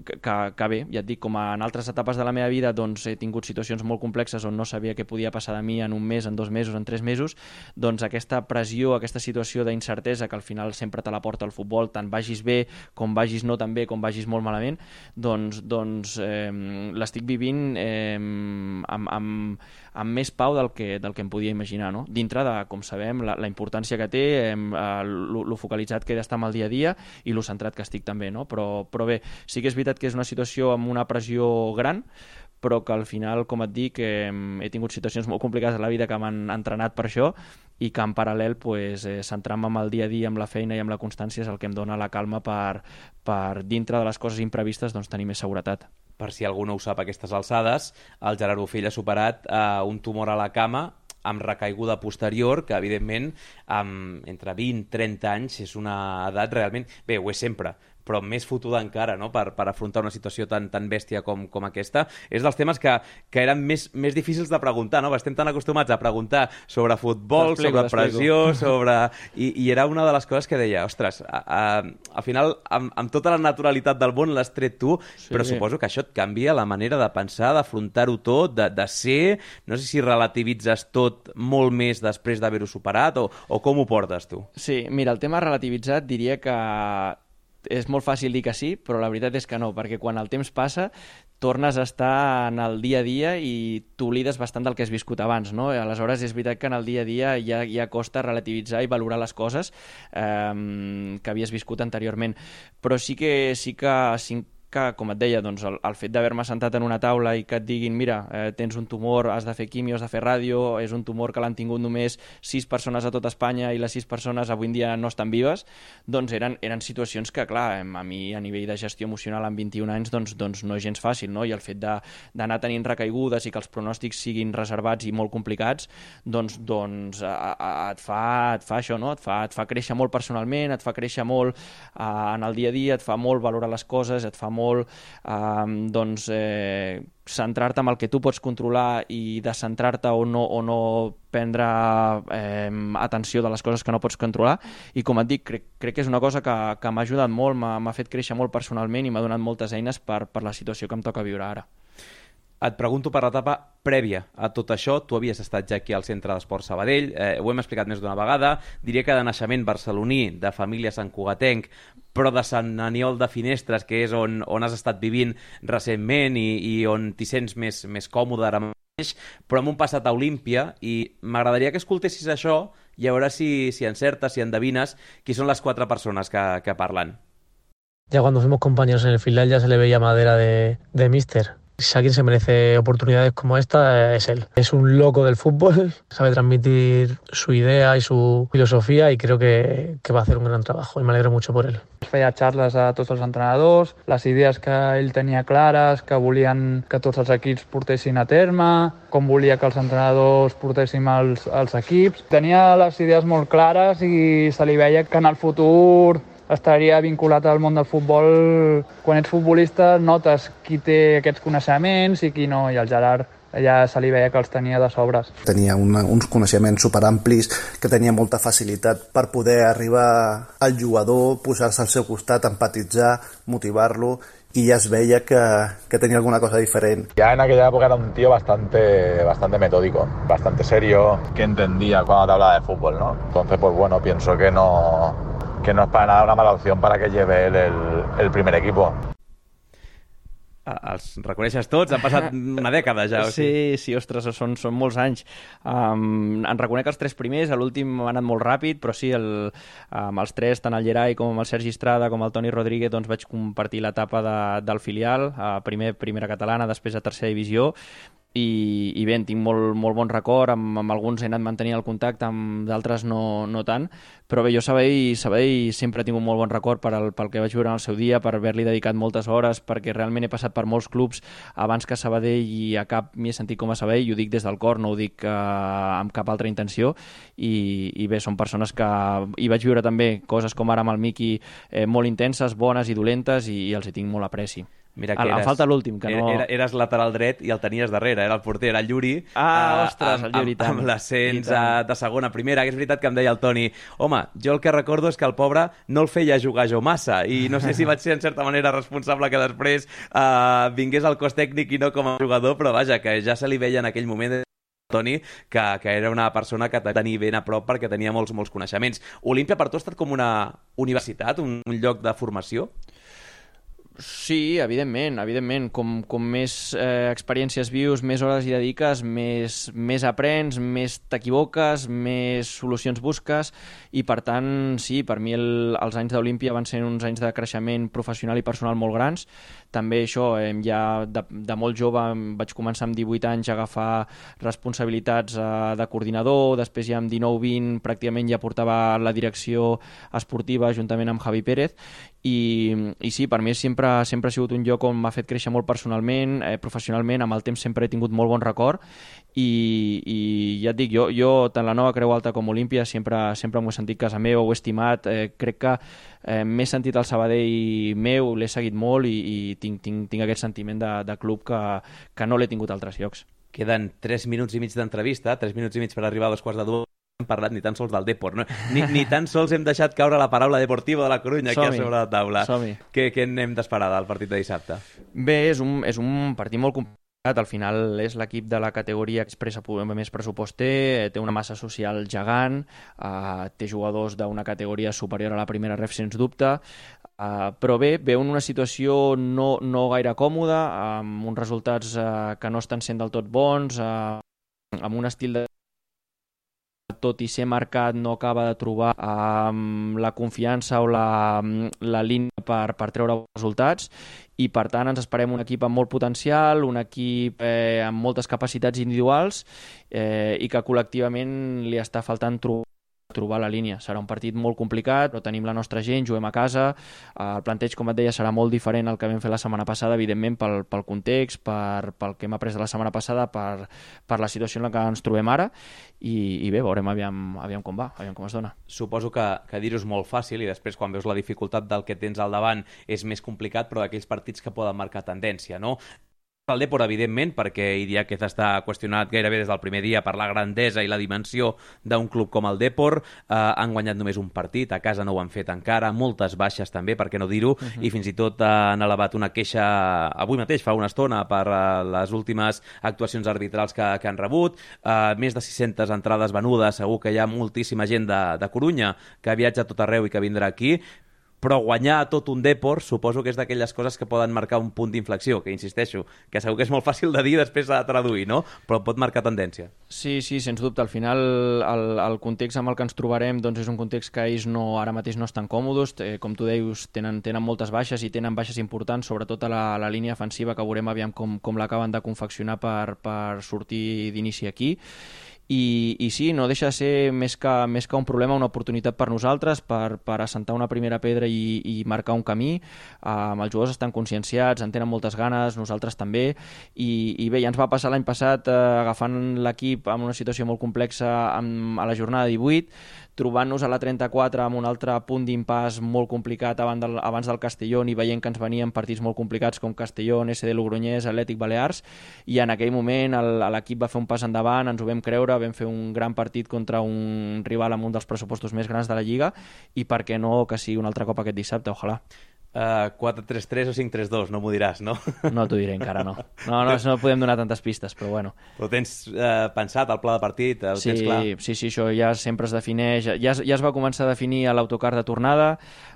que, que bé, ja et dic, com en altres etapes de la meva vida doncs he tingut situacions molt complexes on no sabia què podia passar de mi en un mes, en dos mesos, en tres mesos, doncs aquesta pressió, aquesta situació d'incertesa que al final sempre te la porta el futbol, tant vagis bé com vagis no tan bé, com vagis molt malament, doncs, doncs eh, l'estic vivint eh, amb, amb, amb més pau del que, del que em podia imaginar, no? Dintre de, com sabem, la, la importància que té, eh, lo, lo focalitzat que he d'estar amb el dia a dia i lo centrat que estic també, no? Però però bé, sí que és veritat que és una situació amb una pressió gran, però que al final, com et dic, eh, he tingut situacions molt complicades a la vida que m'han entrenat per això i que en paral·lel pues, eh, centrar-me amb el dia a dia, amb la feina i amb la constància és el que em dona la calma per, per dintre de les coses imprevistes, doncs, tenir més seguretat. Per si algú no ho sap a aquestes alçades, el Gerard Bofill ha superat eh, un tumor a la cama amb recaiguda posterior, que evidentment amb entre vint i trenta anys és una edat realment... Bé, ho és sempre, però més fotuda encara, no?, per, per afrontar una situació tan, tan bèstia com, com aquesta. És dels temes que, que eren més, més difícils de preguntar, no? Estem tan acostumats a preguntar sobre futbol, sobre pressió, sobre... I, I era una de les coses que deia, ostres, a, a, al final, amb, amb tota la naturalitat del món l'has tret tu, sí, però suposo que això et canvia la manera de pensar, d'afrontar-ho tot, de, de ser... No sé si relativitzes tot molt més després d'haver-ho superat, o, o com ho portes tu? Sí, mira, el tema relativitzat diria que és molt fàcil dir que sí, però la veritat és que no, perquè quan el temps passa tornes a estar en el dia a dia i t'oblides bastant del que has viscut abans, no? Aleshores és veritat que en el dia a dia ja, ja costa relativitzar i valorar les coses eh, que havies viscut anteriorment, però sí que, sí que sí, que, com et deia, doncs el, el fet d'haver-me sentat en una taula i que et diguin, mira, eh, tens un tumor, has de fer quimio, has de fer ràdio, és un tumor que l'han tingut només sis persones a tot Espanya i les sis persones avui en dia no estan vives, doncs eren, eren situacions que, clar, a mi a nivell de gestió emocional amb vint-i-un anys doncs, doncs no és gens fàcil, no? I el fet d'anar tenint recaigudes i que els pronòstics siguin reservats i molt complicats, doncs, doncs a, a, et, fa, et fa això, no? Et fa, et fa créixer molt personalment, et fa créixer molt eh, en el dia a dia, et fa molt valorar les coses, et fa molt eh, doncs, eh, centrar-te en el que tu pots controlar i descentrar-te o no, o no prendre eh, atenció de les coses que no pots controlar. I com et dic, crec, crec que és una cosa que, que m'ha ajudat molt, m'ha fet créixer molt personalment i m'ha donat moltes eines per, per la situació que em toca viure ara. Et pregunto per l'etapa prèvia a tot això. Tu havies estat ja aquí al Centre d'Esport Sabadell, eh, ho hem explicat més d'una vegada, diria que de naixement barceloní, de família santcugatenc, però de Sant Aniol de Finestres, que és on, on has estat vivint recentment i, i on t'hi sents més, més còmode ara mateix, però amb un passat a Olímpia, i m'agradaria que escoltessis això i a veure si, si encertes, si endevines qui són les quatre persones que, que parlen. Ya cuando fuimos compañeros en el filial ya se le veía madera de, de míster. Si alguien se merece oportunidades como esta, es él. Es un loco del fútbol, sabe transmitir su idea y su filosofía y creo que, que va a hacer un gran trabajo y me alegro mucho por él. Feia xarles a tots els entrenadors, les idees que ell tenia clares, que volien que tots els equips portessin a terme, com volia que els entrenadors portéssim els, els equips. Tenia les idees molt clares i se li veia que en el futur estaria vinculat al món del futbol. Quan ets futbolista notes qui té aquests coneixements i qui no, i el Gerard ja se li veia que els tenia de sobres. Tenia una, uns coneixements superamplis, que tenia molta facilitat per poder arribar al jugador, posar-se al seu costat, empatitzar, motivar-lo, y ya es veía que, que tenía alguna cosa diferente. Ya en aquella época era un tío bastante, bastante metódico, bastante serio, que entendía cuando te hablaba de fútbol, ¿no? Entonces, pues bueno, pienso que no... que no es para nada una mala opción para que lleve él el, el primer equipo. Els reconeixes tots? Han passat una dècada ja. O sigui. Sí, sí, ostres, són, són molts anys. Um, en reconec els tres primers, l'últim ha anat molt ràpid, però sí, el, amb els tres, tant el Gerai com el Sergi Estrada com el Toni Rodríguez, doncs vaig compartir l'etapa de, del filial, uh, primer primera catalana, després a tercera divisió, i, i bé, en tinc molt, molt bon record, amb, amb alguns he anat mantenint el contacte, amb d'altres no, no tant, però bé, jo Sabadell, Sabadell sempre he tingut molt bon record per el, pel que vaig viure en el seu dia, per haver-li dedicat moltes hores, perquè realment he passat per molts clubs abans que Sabadell i a cap m'hi he sentit com a Sabadell, i ho dic des del cor, no ho dic eh, amb cap altra intenció, i, i bé, són persones que hi vaig viure també coses com ara amb el Miqui, eh, molt intenses, bones i dolentes, i, i els hi tinc molt apreci. Mira que eres, em falta l'últim, que no... Era, eres lateral dret i el tenies darrere, era el porter, era el Lluri. Ah, uh, ostres, el Lluri, amb, amb, amb l'ascens de segona a primera. És veritat que em deia el Toni, home, jo el que recordo és que el pobre no el feia jugar jo massa, i no sé si vaig ser en certa manera responsable que després uh, vingués al cos tècnic i no com a jugador, però vaja, que ja se li veia en aquell moment Toni, que, que era una persona que tenia ben a prop perquè tenia molts, molts coneixements. Olímpia per tu ha estat com una universitat, un, un lloc de formació? Sí, evidentment, evidentment. Com, com més eh, experiències vius, més hores hi dediques, més, més aprens, més t'equivoques, més solucions busques, i per tant, sí, per mi el, els anys d'Olímpia van ser uns anys de creixement professional i personal molt grans. També això, eh, ja de, de molt jove vaig començar amb divuit anys a agafar responsabilitats eh, de coordinador, després ja amb dinou vint pràcticament ja portava la direcció esportiva juntament amb Javi Pérez, i, i sí, per mi sempre, sempre ha sigut un lloc on m'ha fet créixer molt personalment, eh, professionalment, amb el temps sempre he tingut molt bon record, i, i ja et dic, jo, jo tant la Nova Creu Alta com Olímpia sempre, sempre m'ho he sentit casa meva, ho he estimat, eh, crec que eh, m'he sentit al Sabadell meu, l'he seguit molt, i, i tinc, tinc, tinc aquest sentiment de, de club que, que no l'he tingut a altres llocs. Queden tres minuts i mig d'entrevista, tres minuts i mig per arribar a dos quarts de dues. No hem parlat ni tan sols del Depor, no? ni, ni tan sols hem deixat caure la paraula Deportiva de la Corunya aquí a sobre la taula. Què, què n'hem d'esperar del partit de dissabte? Bé, és un, és un partit molt complicat. Al final és l'equip de la categoria que expressa més pressupost té, té una massa social gegant, eh, té jugadors d'una categoria superior a la primera ref, sens dubte, Uh, però bé, veu en una situació no, no gaire còmoda, amb uns resultats uh, que no estan sent del tot bons, uh, amb un estil de tot i ser marcat no acaba de trobar um, la confiança o la, la línia per, per treure resultats, i per tant ens esperem un equip amb molt potencial, un equip eh, amb moltes capacitats individuals eh, i que col·lectivament li està faltant trobar trobar la línia. Serà un partit molt complicat, però tenim la nostra gent, juguem a casa, el planteig, com et deia, serà molt diferent al que vam fer la setmana passada, evidentment pel, pel context, per, pel que hem après de la setmana passada, per, per la situació en la que ens trobem ara, i, i bé, veurem aviam, aviam com va, aviam com es dona. Suposo que, que dir-ho és molt fàcil i després quan veus la dificultat del que tens al davant és més complicat, però d'aquells partits que poden marcar tendència, no? El Depor, evidentment, perquè Idiáquez està qüestionat gairebé des del primer dia per la grandesa i la dimensió d'un club com el Depor. Eh, han guanyat només un partit, a casa no ho han fet encara, moltes baixes també, per què no dir-ho, uh-huh. i fins i tot eh, han elevat una queixa avui mateix, fa una estona, per eh, les últimes actuacions arbitrals que, que han rebut. Eh, més de sis-centes entrades venudes, segur que hi ha moltíssima gent de, de Corunya que viatja a tot arreu i que vindrà aquí, però guanyar tot un Depor suposo que és d'aquelles coses que poden marcar un punt d'inflexió, que insisteixo, que segur que és molt fàcil de dir i després de traduir, no? Però pot marcar tendència. Sí, sí, sens dubte. Al final el, el context amb el que ens trobarem doncs és un context que ells no, ara mateix no estan còmodes, eh, com tu deies, tenen, tenen moltes baixes i tenen baixes importants, sobretot a la, a la línia defensiva, que veurem aviam com, com l'acaben de confeccionar per, per sortir d'inici aquí. I, i sí, no deixa de ser més que, més que un problema, una oportunitat per nosaltres, per, per assentar una primera pedra i, i marcar un camí. Um, els jugadors estan conscienciats, en tenen moltes ganes, nosaltres també, i, i bé, ja ens va passar l'any passat eh, agafant l'equip en una situació molt complexa amb, a la jornada divuit, trobant-nos a la trenta-quatre amb un altre punt d'impàs molt complicat abans del, abans del Castellón i veient que ens venien partits molt complicats com Castellón, S D Logroñés, Atlètic Balears, i en aquell moment l'equip va fer un pas endavant, ens ho vam creure, vam fer un gran partit contra un rival amb un dels pressupostos més grans de la Lliga, i per què no que sigui un altre cop aquest dissabte, ojalà. Uh, quatre tres tres o cinc tres dos, no m'ho diràs, no? No t'ho diré encara, no. No, no, no podem donar tantes pistes, però bueno. Ho tens uh, pensat, el pla de partit? Ho sí, tens clar? Sí, sí, això ja sempre es defineix, ja, ja es va començar a definir a l'autocar de tornada,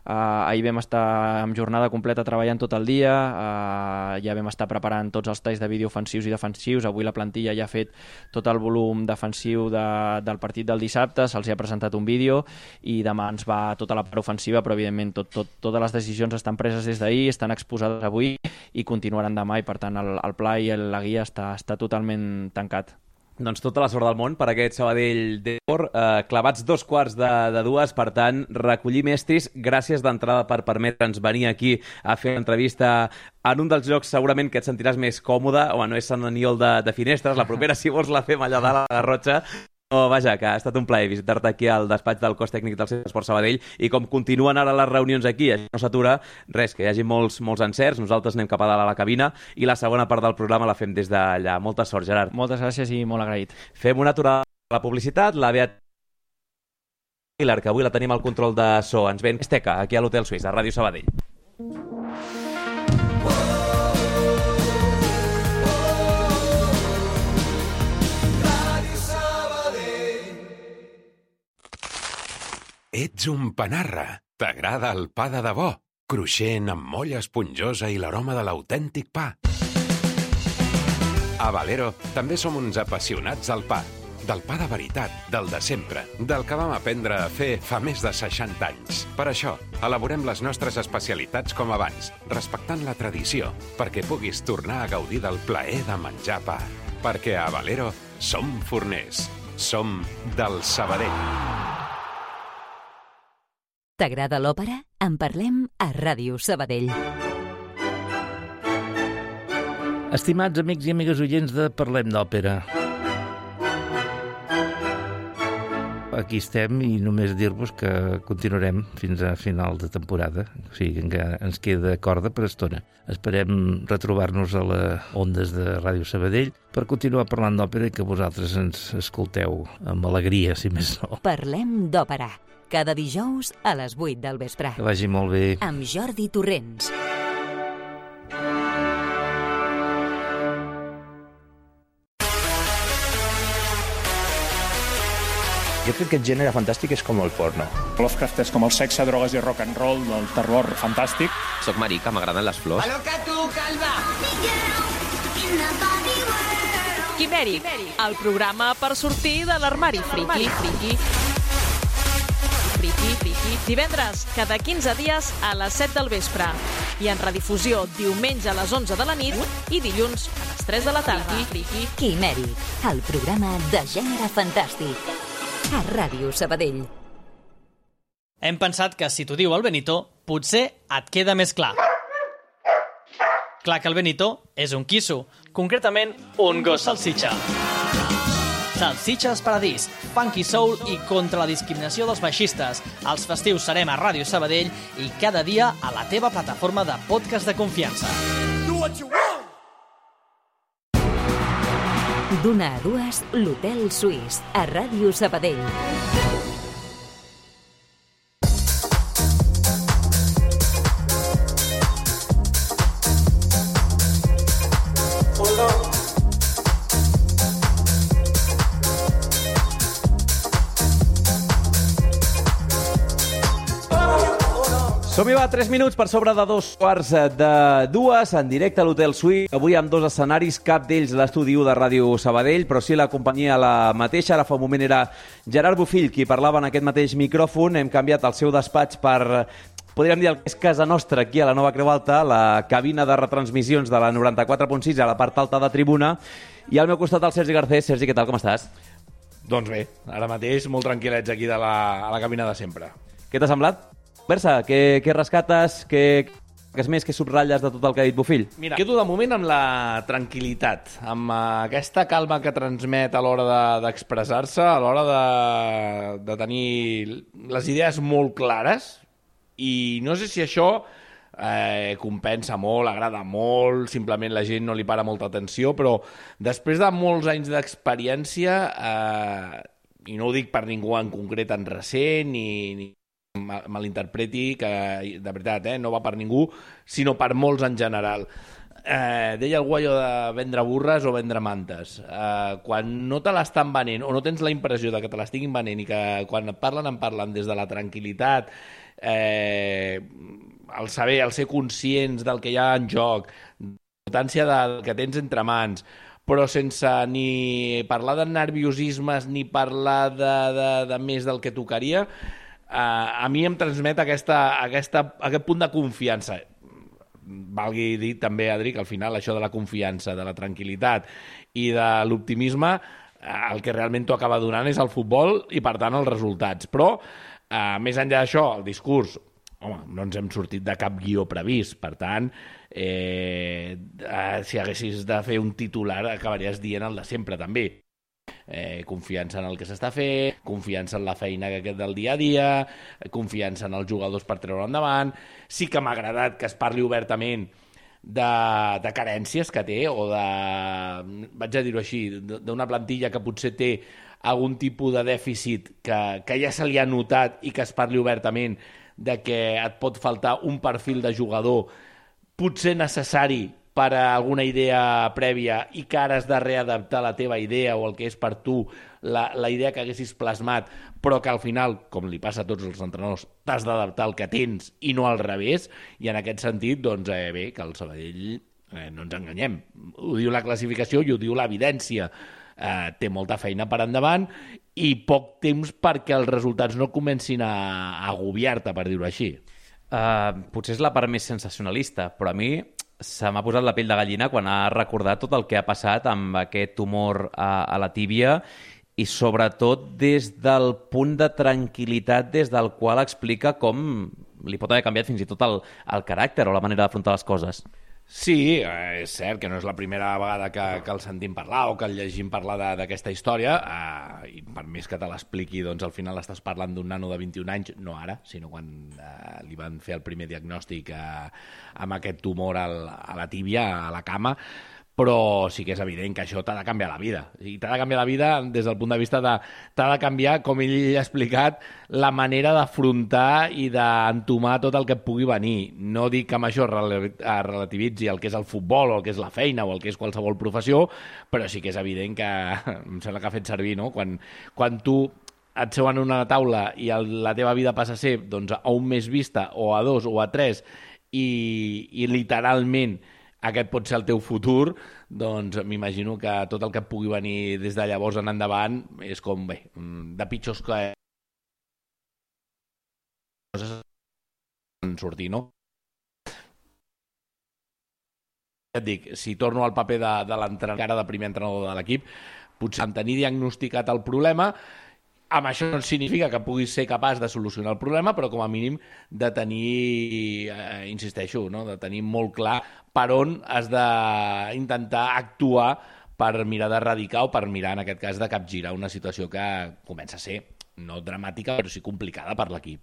uh, ahir vam estar amb jornada completa treballant tot el dia, uh, ja vam estar preparant tots els talls de vídeo ofensius i defensius, avui la plantilla ja ha fet tot el volum defensiu de, del partit del dissabte, se'ls ha presentat un vídeo i demà ens va tota la part ofensiva, però evidentment tot, tot, totes les decisions estan preses des d'ahir, estan exposades avui i continuaran demà, i per tant el, el pla i el, la guia està, està totalment tancat. Doncs tota la sort del món per aquest Sabadell Depor, eh, clavats dos quarts de, de dues, per tant, recollir mestris. Gràcies d'entrada per permetre'ns venir aquí a fer l'entrevista en un dels llocs segurament que et sentiràs més còmode, home, no és Sant Aniol de, de Finestres, la propera si vols la fem allà dalt a la Garrotxa. No, vaja, que ha estat un plaer visitar-te aquí al despatx del cos tècnic del Centre Esport Sabadell, i com continuen ara les reunions aquí, això no s'atura, res, que hi hagi molts, molts encerts, nosaltres anem cap a dalt a la cabina i la segona part del programa la fem des d'allà. Molta sort, Gerard. Moltes gràcies i molt agraït. Fem una aturada a la publicitat, la Beat Miller, que avui la tenim al control de so, ens ven Esteca, aquí a l'Hotel Suís, a Ràdio Sabadell. Ets un panarra. T'agrada el pa de debò, cruixent, amb molla esponjosa i l'aroma de l'autèntic pa. A Valero també som uns apassionats del pa. Del pa de veritat, del de sempre, del que vam aprendre a fer fa més de seixanta anys. Per això, elaborem les nostres especialitats com abans, respectant la tradició, perquè puguis tornar a gaudir del plaer de menjar pa. Perquè a Valero som forners. Som del Sabadell. T'agrada l'òpera? En parlem a Ràdio Sabadell. Estimats amics i amigues oients de Parlem d'Òpera, aquí estem i només dir-vos que continuarem fins a final de temporada, o sigui que ens queda corda per estona. Esperem retrobar-nos a les ondes de Ràdio Sabadell per continuar parlant d'òpera i que vosaltres ens escolteu amb alegria, si més no. Parlem d'òpera, cada dijous a les vuit del vespre. Que vagi molt bé. Amb Jordi Torrents. Jo crec que el gènere fantàstic és com el porno. Lovecraft és com el sexe, drogues i rock and roll del terror fantàstic. Soc marica, m'agraden les flors. Aloca tu, calva! Quimèric, el programa per sortir de l'armari friki. Friki, friki, friki. Divendres, cada quinze dies a les set del vespre. I en redifusió diumenge a les onze de la nit i dilluns a les tres de la tarda. Quimèric, el programa de gènere fantàstic. A Ràdio Sabadell. Hem pensat que si t'ho diu el Benito, potser et queda més clar. Clar que el Benito és un quisso, concretament un gos salsitxa. Salsitxes Paradís, funky soul i contra la discriminació dels baixistes. Els festius serem a Ràdio Sabadell i cada dia a la teva plataforma de podcast de confiança. D'una a dues, l'Hotel Suís, a Ràdio Sabadell. Som-hi, va, tres minuts per sobre de dos quarts de dues, en directe a l'Hotel Suís. Avui amb dos escenaris, cap d'ells l'estudi u de Ràdio Sabadell, però sí la companyia la mateixa. Ara fa un moment era Gerard Bofill qui parlava en aquest mateix micròfon. Hem canviat el seu despatx per, podríem dir, el que és casa nostra, aquí a la Nova Creu Alta, la cabina de retransmissions de la noranta-quatre punt sis, a la part alta de tribuna. I al meu costat el Sergi Garcés. Sergi, què tal, com estàs? Doncs bé, ara mateix molt tranquil·lets aquí de la, a la cabina de sempre. Què t'ha semblat? Berça, què, què rescates, què, què és més, què subratlles de tot el que ha dit Bofill? Mira, quedo de moment amb la tranquil·litat, amb aquesta calma que transmet a l'hora de, d'expressar-se, a l'hora de, de tenir les idees molt clares, i no sé si això eh, compensa molt, agrada molt, simplement la gent no li para molta atenció, però després de molts anys d'experiència, eh, i no ho dic per ningú en concret en recent, ni... ni malinterpreti, que de veritat eh, no va per ningú, sinó per molts en general. Eh, deia algú allò de vendre burres o vendre mantes. Eh, quan no te l'estan venent, o no tens la impressió de que te l'estiguin venent i que quan et parlen, en parlen des de la tranquil·litat, eh, el saber, el ser conscients del que hi ha en joc, l'importància del que tens entre mans, però sense ni parlar de nerviosismes ni parlar de, de, de més del que tocaria, Uh, a mi em transmet aquesta, aquesta, aquest punt de confiança. Valgui dir també, Adri, que al final això de la confiança, de la tranquil·litat i de l'optimisme, uh, el que realment t'ho acaba donant és el futbol i, per tant, els resultats. Però, uh, més enllà d'això, el discurs, home, no ens hem sortit de cap guió previst. Per tant, eh, uh, si haguessis de fer un titular, acabaries dient el de sempre, també. Eh, confiança en el que s'està fent, confiança en la feina que queda del dia a dia, confiança en els jugadors per treure endavant. Sí que m'ha agradat que es parli obertament de, de carències que té, o de, vaig a dir-ho així, d'una plantilla que potser té algun tipus de dèficit que, que ja se li ha notat, i que es parli obertament de que et pot faltar un perfil de jugador potser necessari per a alguna idea prèvia i que ara has de readaptar la teva idea o el que és per tu la, la idea que haguessis plasmat, però que al final, com li passa a tots els entrenadors, t'has d'adaptar al que tens i no al revés, i en aquest sentit, doncs eh, bé, que el Sabadell, eh, no ens enganyem, ho diu la classificació i ho diu l'evidència, eh, té molta feina per endavant i poc temps perquè els resultats no comencin a, a agobiar-te, per dir-ho així. Uh, potser és la part més sensacionalista, però a mi se m'ha posat la pell de gallina quan ha recordat tot el que ha passat amb aquest tumor a, a la tíbia, i sobretot des del punt de tranquil·litat des del qual explica com li pot haver canviat fins i tot el, el caràcter o la manera d'afrontar les coses. Sí, és cert que no és la primera vegada que, que el sentim parlar o que el llegim parlar d'aquesta història, eh, i per més que te l'expliqui, doncs al final estàs parlant d'un nano de vint-i-un anys, no ara, sinó quan eh, li van fer el primer diagnòstic eh, amb aquest tumor al, a la tíbia, a la cama, però sí que és evident que això t'ha de canviar la vida. I t'ha de canviar la vida des del punt de vista de... T'ha de canviar, com ell ha explicat, la manera d'afrontar i d'entomar tot el que et pugui venir. No dic que amb això relativitzi el que és el futbol o el que és la feina o el que és qualsevol professió, però sí que és evident que... Em sembla que ha fet servir, no? Quan, quan tu et seu en una taula i el, la teva vida passa a ser doncs, a un mes vista o a dos o a tres i, i literalment aquest pot ser el teu futur, doncs m'imagino que tot el que et pugui venir des de llavors en endavant és com, bé, de pitjors que poden sortir, no? Ja et dic, si torno al paper de, de l'entrenador, cara de primer entrenador de l'equip, potser en tenir diagnosticat el problema, amb això no significa que puguis ser capaç de solucionar el problema, però com a mínim de tenir, eh, insisteixo, no? de tenir molt clar per on has d'intentar actuar per mirar d'erradicar o per mirar, en aquest cas, de capgirar una situació que comença a ser no dramàtica, però sí complicada per l'equip.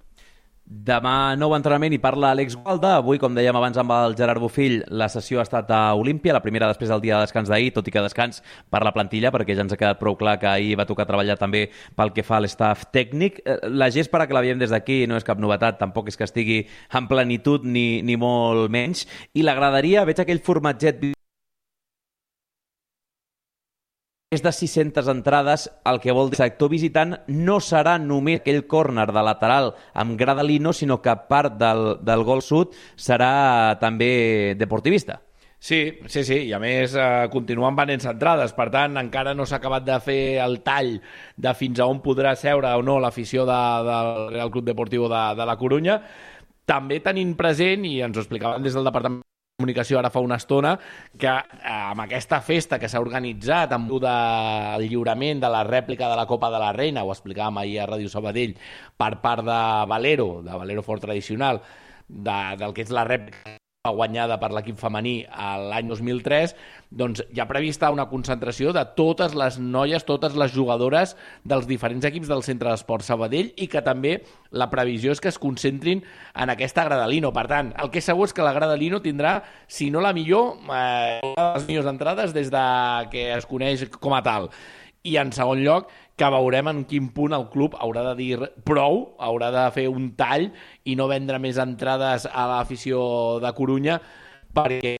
Demà nou entrenament i parla Àlex Gualda. Avui, com dèiem abans amb el Gerard Bofill, la sessió ha estat a Olímpia, la primera després del dia de descans d'ahir, tot i que descans per la plantilla, perquè ja ens ha quedat prou clar que ahir va tocar treballar també pel que fa a l'estaf tècnic. La gespa que la veiem des d'aquí no és cap novetat, tampoc és que estigui en plenitud ni, ni molt menys. I l'agradaria, veig aquell formatget més de sis-centes entrades, el que vol dir que el sector visitant no serà només aquell córner de lateral amb grada Lino, sinó que part del, del gol sud serà també deportivista. Sí, sí, sí, i a més eh, continuen venent entrades, per tant encara no s'ha acabat de fer el tall de fins a on podrà seure o no l'afició de, del Real Club Deportivo de, de la Corunya. També tenint present, i ens ho explicaven des del Departament Comunicació ara fa una estona, que eh, amb aquesta festa que s'ha organitzat amb el lliurament de la rèplica de la Copa de la Reina, ho explicàvem ahir a Ràdio Sabadell, per part de Valero, de Valero Fort Tradicional, de, del que és la rèplica guanyada per l'equip femení l'any dos mil tres, doncs hi ha prevista una concentració de totes les noies, totes les jugadores dels diferents equips del Centre d'Esport Sabadell, i que també la previsió és que es concentrin en aquesta grada Lino. Per tant, el que és segur és que la grada Lino tindrà, si no la millor, eh, una de les millors entrades des de que es coneix com a tal. I en segon lloc, que veurem en quin punt el club haurà de dir prou, haurà de fer un tall i no vendre més entrades a l'afició de Corunya, perquè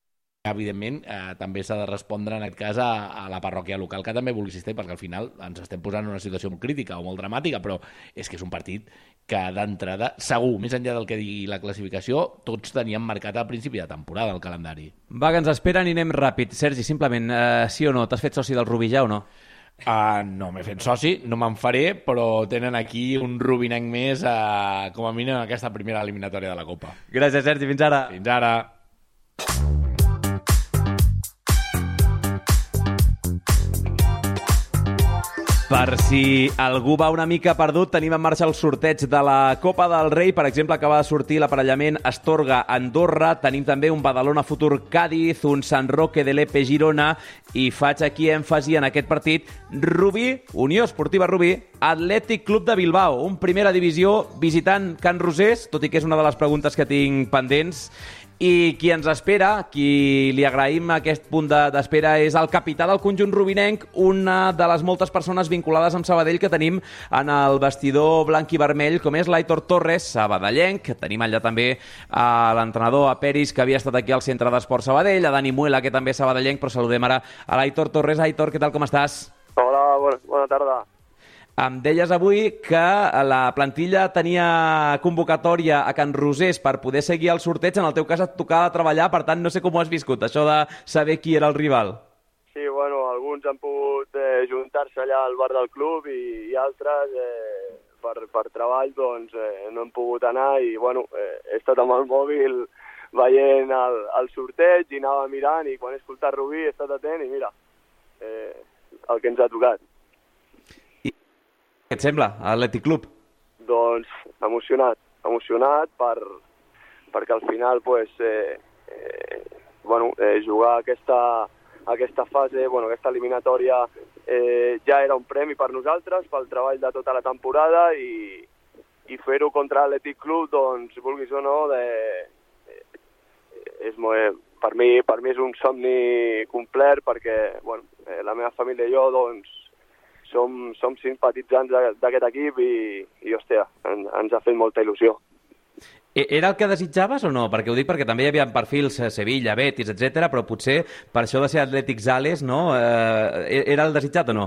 evidentment eh, també s'ha de respondre en aquest cas a, a la parròquia local, que també vulgui assistir, perquè al final ens estem posant en una situació molt crítica o molt dramàtica, però és que és un partit que d'entrada, segur, més enllà del que digui la classificació, tots teníem marcat al principi de temporada el calendari. Va, que ens esperen i anem ràpid. Sergi, simplement, eh, sí o no, t'has fet soci del Rubí ja o no? Uh, no m'he fet soci, no me'n faré, però tenen aquí un rubinenc més, uh, com a mínim en aquesta primera eliminatòria de la Copa. Gràcies, Sergi, fins ara. Fins ara. Per si algú va una mica perdut, tenim en marxa el sorteig de la Copa del Rei. Per exemple, acaba de sortir l'aparellament Astorga-Andorra. Tenim també un Badalona Futur Cádiz, un San Roque de l'Epe Girona, i faig aquí èmfasi en aquest partit. Rubí, Unió Esportiva Rubí, Atlètic Club de Bilbao, un primera divisió visitant Can Rosés, tot i que és una de les preguntes que tinc pendents. I qui ens espera, qui li agraïm aquest punt d'espera, és el capità del conjunt rubinenc, una de les moltes persones vinculades amb Sabadell que tenim en el vestidor blanc i vermell, com és l'Aitor Torres, sabadellenc. Tenim allà també a l'entrenador, a Peris, que havia estat aquí al Centre d'Esport Sabadell, a Dani Muela, que també és sabadellenc, però saludem ara a l'Aitor Torres. Aitor, què tal, com estàs? Hola, bona, bona tarda. Em deies avui que la plantilla tenia convocatòria a Can Rosés per poder seguir el sorteig. En el teu cas et tocava treballar, per tant no sé com ho has viscut, això de saber qui era el rival. Sí, bueno, alguns han pogut eh, juntar-se allà al bar del club i, i altres eh, per, per treball doncs eh, no han pogut anar i bueno, eh, he estat amb el mòbil veient el, el sorteig i anava mirant i quan he escoltat Rubí he estat atent i mira, eh, el que ens ha tocat. Què et sembla, Atlètic Club? Doncs emocionat, emocionat per, perquè al final pues, eh, eh, bueno, eh, jugar aquesta, aquesta fase, bueno, aquesta eliminatòria eh, ja era un premi per nosaltres, pel treball de tota la temporada i, i fer-ho contra l'Atlètic Club, doncs vulguis o no, de, eh, és molt, per, mi, per mi és un somni complet perquè bueno, eh, la meva família i jo doncs, Som, som simpatitzants d'aquest equip i, i hòstia, en, ens ha fet molta il·lusió. Era el que desitjaves o no? Perquè ho dic perquè també hi havia perfils Sevilla, Betis, etcètera, però potser per això de ser Atlètic Sales, no? Eh, era el desitjat o no?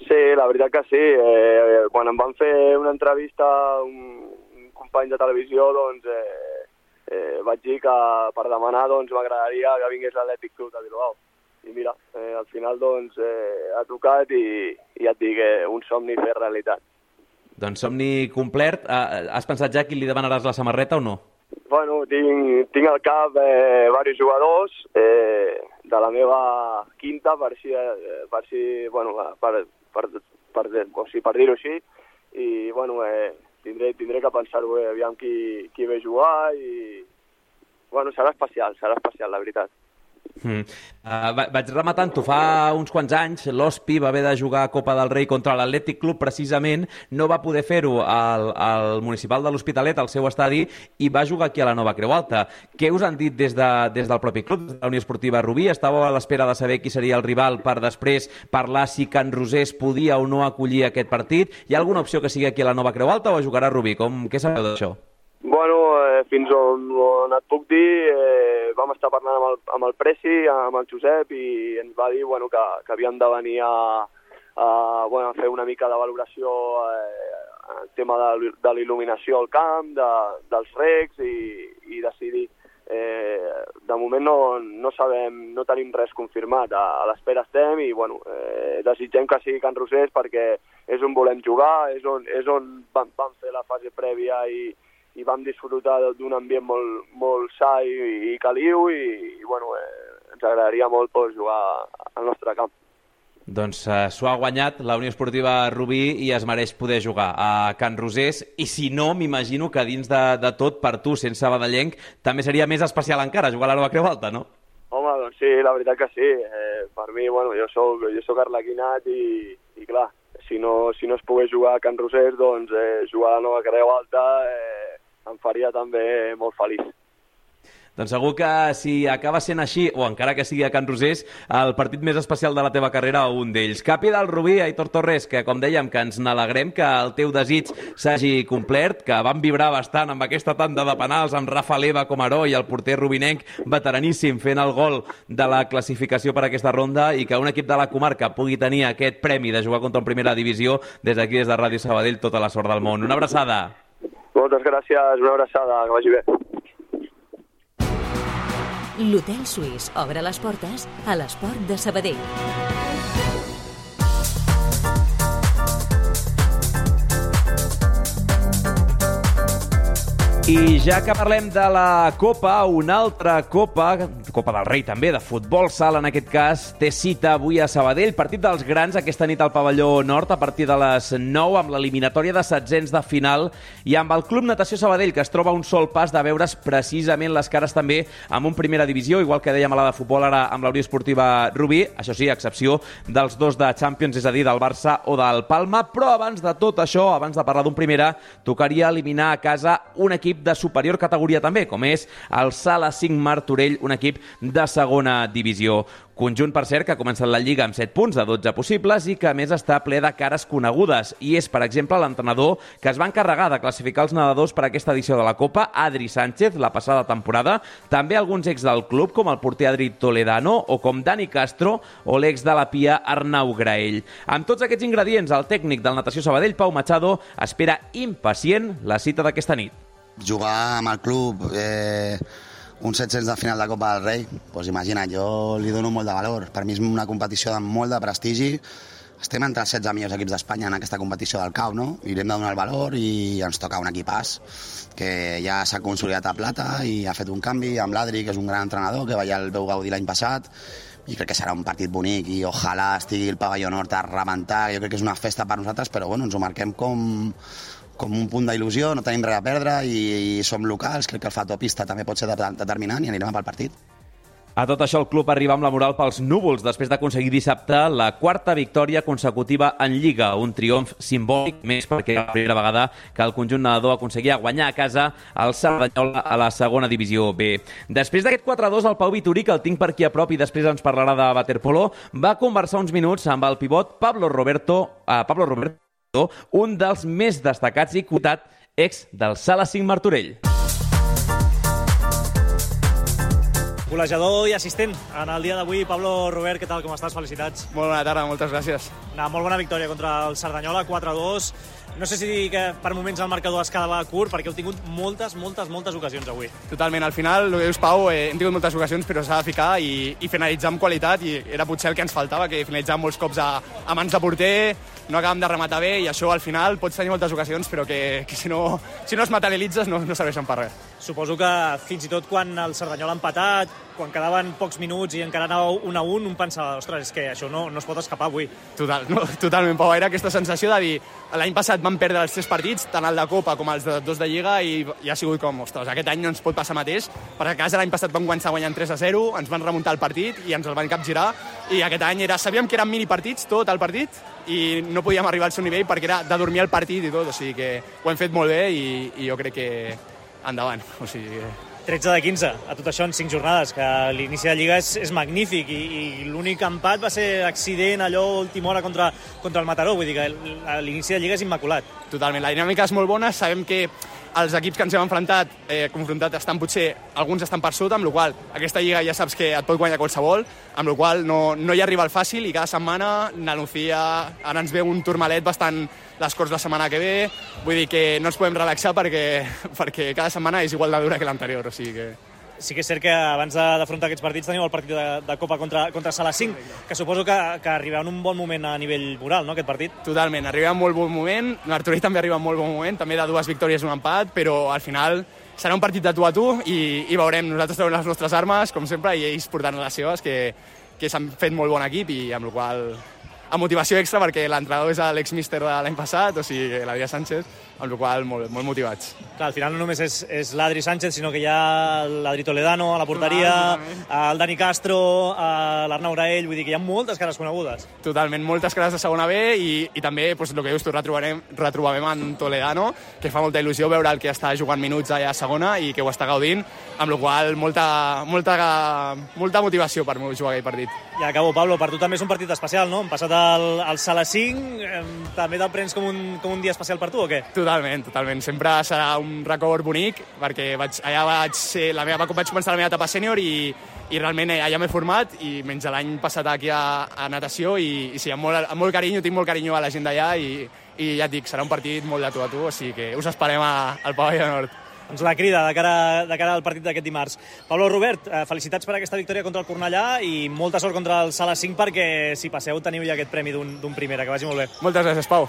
Sí, la veritat que sí. Eh, quan em van fer una entrevista a un, un company de televisió, doncs eh, eh, vaig dir que per demanar doncs, m'agradaria que vingués l'Atlètic Club de Bilbao. I mira, eh, al final doncs, eh, ha tocat i, i ja et dic, eh, un somni fer realitat. Doncs somni complet. Has pensat ja qui li demanaràs la samarreta o no? Bueno, tinc, tinc al cap eh, diversos jugadors eh, de la meva quinta, per si, eh, per, si bueno, per, per, per, o sigui, per dir-ho així, i bueno, eh, tindré, tindré que pensar-ho, eh, aviam qui, qui ve a jugar, i bueno, serà especial, serà especial, la veritat. Mm. Uh, vaig rematant-ho, fa uns quants anys l'Hospi va haver de jugar a Copa del Rei contra l'Atlètic Club, precisament no va poder fer-ho al, al Municipal de l'Hospitalet, al seu estadi, i va jugar aquí a la Nova Creu Alta. Què us han dit des, de, des del propi club, de la Unió Esportiva Rubí? Estàveu a l'espera de saber qui seria el rival per després parlar si Can Rosés podia o no acollir aquest partit? Hi ha alguna opció que sigui aquí a la Nova Creu Alta o jugarà a Rubí? Com, què sabeu d'això? Bueno, eh, fins on, on et puc dir, eh, vam estar parlant amb el, amb el Presi, amb el Josep, i ens va dir bueno, que, que havíem de venir a, a, bueno, a fer una mica de valoració eh, el tema de, de l'il·luminació al camp, de, dels recs, i, i decidir. Eh, de moment no, no sabem, no tenim res confirmat, a, a l'espera estem, i bueno, eh, desitgem que sigui Can Rosés perquè és on volem jugar, és on, és on vam, vam fer la fase prèvia i i vam disfrutar d'un ambient molt, molt sa i, i caliu, i, i bueno, eh, ens agradaria molt poder jugar al nostre camp. Doncs eh, s'ho ha guanyat la Unió Esportiva Rubí i es mereix poder jugar a Can Rosés, i si no, m'imagino que dins de, de tot, per tu, sense sabadellenc, també seria més especial encara jugar a la Nova Creu Alta, no? Home, doncs sí, la veritat que sí. Eh, per mi, bueno, jo soc, jo soc arlequinat i, i clar, si no, si no es pogués jugar a Can Rosés, doncs eh, jugar a la Nova Creu Alta eh, em faria també molt feliç. Doncs segur que si acaba sent així, o encara que sigui a Can Rosés, el partit més especial de la teva carrera o un d'ells. Capi del Rubí, Aitor Torres, que com dèiem, que ens n'alegrem que el teu desig s'hagi complert, que van vibrar bastant amb aquesta tanda de penals amb Rafa Leva com a heroi i el porter rubinenc veteraníssim fent el gol de la classificació per a aquesta ronda, i que un equip de la comarca pugui tenir aquest premi de jugar contra en primera divisió, des d'aquí, des de Ràdio Sabadell, tota la sort del món. Una abraçada. Moltes gràcies, una abraçada, que vagi bé. L'Hotel Suís obre les portes a l'esport de Sabadell. I ja que parlem de la Copa, una altra Copa, Copa del Rei també, de futbol sala en aquest cas, té cita avui a Sabadell. Partit dels grans aquesta nit al pavelló nord a partir de les nou, amb l'eliminatòria de setzents de final, i amb el Club Natació Sabadell, que es troba a un sol pas de veure's precisament les cares també amb un primera divisió, igual que dèiem a la de futbol ara amb la Unió Esportiva Rubí, això sí, a excepció dels dos de Champions, és a dir, del Barça o del Palma. Però abans de tot això, abans de parlar d'un primera, tocaria eliminar a casa un equip de superior categoria també, com és el Sala cinc Martorell, un equip de segona divisió. Conjunt, per cert, que ha començat la Lliga amb set punts de dotze possibles i que a més està ple de cares conegudes. I és, per exemple, l'entrenador que es va encarregar de classificar els nedadors per a aquesta edició de la Copa, Adri Sánchez, la passada temporada. També alguns ex del club, com el porter Adri Toledano, o com Dani Castro, o l'ex de la Pia, Arnau Graell. Amb tots aquests ingredients, el tècnic del Natació Sabadell, Pau Machado, espera impacient la cita d'aquesta nit. Jugar amb el club eh, uns set-cents de final de Copa del Rei, doncs imagina't, jo li dono molt de valor. Per mi és una competició de molt de prestigi. Estem entre els setze millors equips d'Espanya en aquesta competició del C A U, no? I li hem de donar el valor i ens toca un equipàs que ja s'ha consolidat a plata i ha fet un canvi amb l'Adri, que és un gran entrenador, que ja el veu gaudir l'any passat, i crec que serà un partit bonic i ojalà estigui el pavelló nord a rebentar. Jo crec que és una festa per nosaltres, però bueno, ens ho marquem com... com un punt d'il·lusió, no tenim res a perdre i, i som locals, crec que el factor pista també pot ser determinant i anirem pel partit. A tot això, el club arriba amb la moral pels núvols després d'aconseguir dissabte la quarta victòria consecutiva en Lliga, un triomf simbòlic més perquè era la primera vegada que el conjunt nedador aconseguia guanyar a casa el Cerdanyola a la segona divisió B. Després d'aquest quatre a dos, el Pau Vitorí, que el tinc per aquí a prop i després ens parlarà de waterpolo, va conversar uns minuts amb el pivot Pablo Roberto, uh, Pablo Roberto, un dels més destacats i cotat ex del Sala cinc Martorell. Golejador i assistent en el dia d'avui. Pablo Robert, què tal, com estàs? Felicitats. Molt bona tarda, moltes gràcies. Una molt bona victòria contra el Cerdanyola, quatre a dos. No sé si dir que per moments el marcador es quedava curt, perquè heu tingut moltes, moltes, moltes ocasions avui. Totalment, al final, el que dius, Pau, eh, hem tingut moltes ocasions, però s'ha de ficar i, i finalitzar amb qualitat, i era potser el que ens faltava, que finalitzàvem molts cops a, a mans de porter, no acabem de rematar bé, i això al final pots tenir moltes ocasions, però que, que si, no, si no es materialitzes no, no serveixen per res. suposo que fins i tot quan el Cerdanyola ha empatat, quan quedaven pocs minuts i encara anava un a un, un pensava, ostres, és que això no, no es pot escapar avui. Total, no, totalment, Pau. Era aquesta sensació de dir, l'any passat vam perdre els tres partits, tant el de Copa com els de dos de Lliga, i, i ha sigut com, ostres, aquest any no ens pot passar mateix, perquè a casa l'any passat vam començar guanyant tres a zero, ens van remuntar el partit i ens el van capgirar, i aquest any era, sabíem que eren minipartits, tot el partit, i no podíem arribar al seu nivell perquè era de dormir al partit i tot, o sigui que ho hem fet molt bé i, i jo crec que endavant, o sigui... tretze de quinze, a tot això en cinc jornades, que l'inici de Lliga és, és magnífic i, i l'únic empat va ser accident, allò, última hora contra, contra el Mataró, vull dir que l'inici de Lliga és immaculat. Totalment, la dinàmica és molt bona, sabem que els equips que ens hem enfrontat, eh, confrontat, estan potser, alguns estan per sota, amb la qual aquesta Lliga ja saps que et pot guanyar qualsevol, amb la qual no, no hi arriba el fàcil i cada setmana la Nucía, ara ens ve un turmalet bastant les Corts la setmana que ve, vull dir que no ens podem relaxar perquè, perquè cada setmana és igual de dura que l'anterior, o sigui que... Sí que és cert que abans d'afrontar aquests partits teniu el partit de, de Copa contra, contra Sala cinc, que suposo que, que arriba en un bon moment a nivell moral, no, aquest partit? Totalment, arriba en molt bon moment, l'Arturell també arriba en molt bon moment, també de dues victòries i un empat, però al final serà un partit de tu a tu i, i veurem, nosaltres tenim les nostres armes, com sempre, i ells portant les seves, que, que s'han fet molt bon equip i amb la qual amb motivació extra perquè l'entrenador és l'ex-míster de l'any passat, o sigui, l'Adrià Sánchez, amb la qual molt, molt motivats. Clar, al final no només és, és l'Adri Sánchez, sinó que hi ha l'Adri Toledano a la porteria, ah, el Dani Castro, l'Arnau Graell, vull dir que hi ha moltes cares conegudes. Totalment, moltes cares de segona B i, i també, pues, el que dius tu, retrobarem, retrobarem en Toledano, que fa molta il·lusió veure el que està jugant minuts allà a segona i que ho està gaudint, amb la qual molta, molta, molta motivació per jugar aquell partit. I acabo, Pablo, per tu també és un partit especial, no? Hem passat al, al Sala cinc, eh, també te'l prens com un, com un dia especial per tu o què? Totalment, totalment. Sempre serà un record bonic, perquè vaig, allà vaig, ser, la meva, vaig començar la meva etapa sènior i, i realment allà m'he format, i menys l'any passat aquí a, a natació, i, i sí, amb molt, amb molt carinyo, tinc molt carinyo a la gent d'allà, i, i ja et dic, serà un partit molt de tu a tu, o sigui que us esperem a, al Pavelló Nord. Doncs la crida de cara, de cara al partit d'aquest dimarts. Pablo Robert, eh, felicitats per aquesta victòria contra el Cornellà i molta sort contra el Sala cinc perquè si passeu teniu ja aquest premi d'un primera, que vagi molt bé. Moltes gràcies, Pau.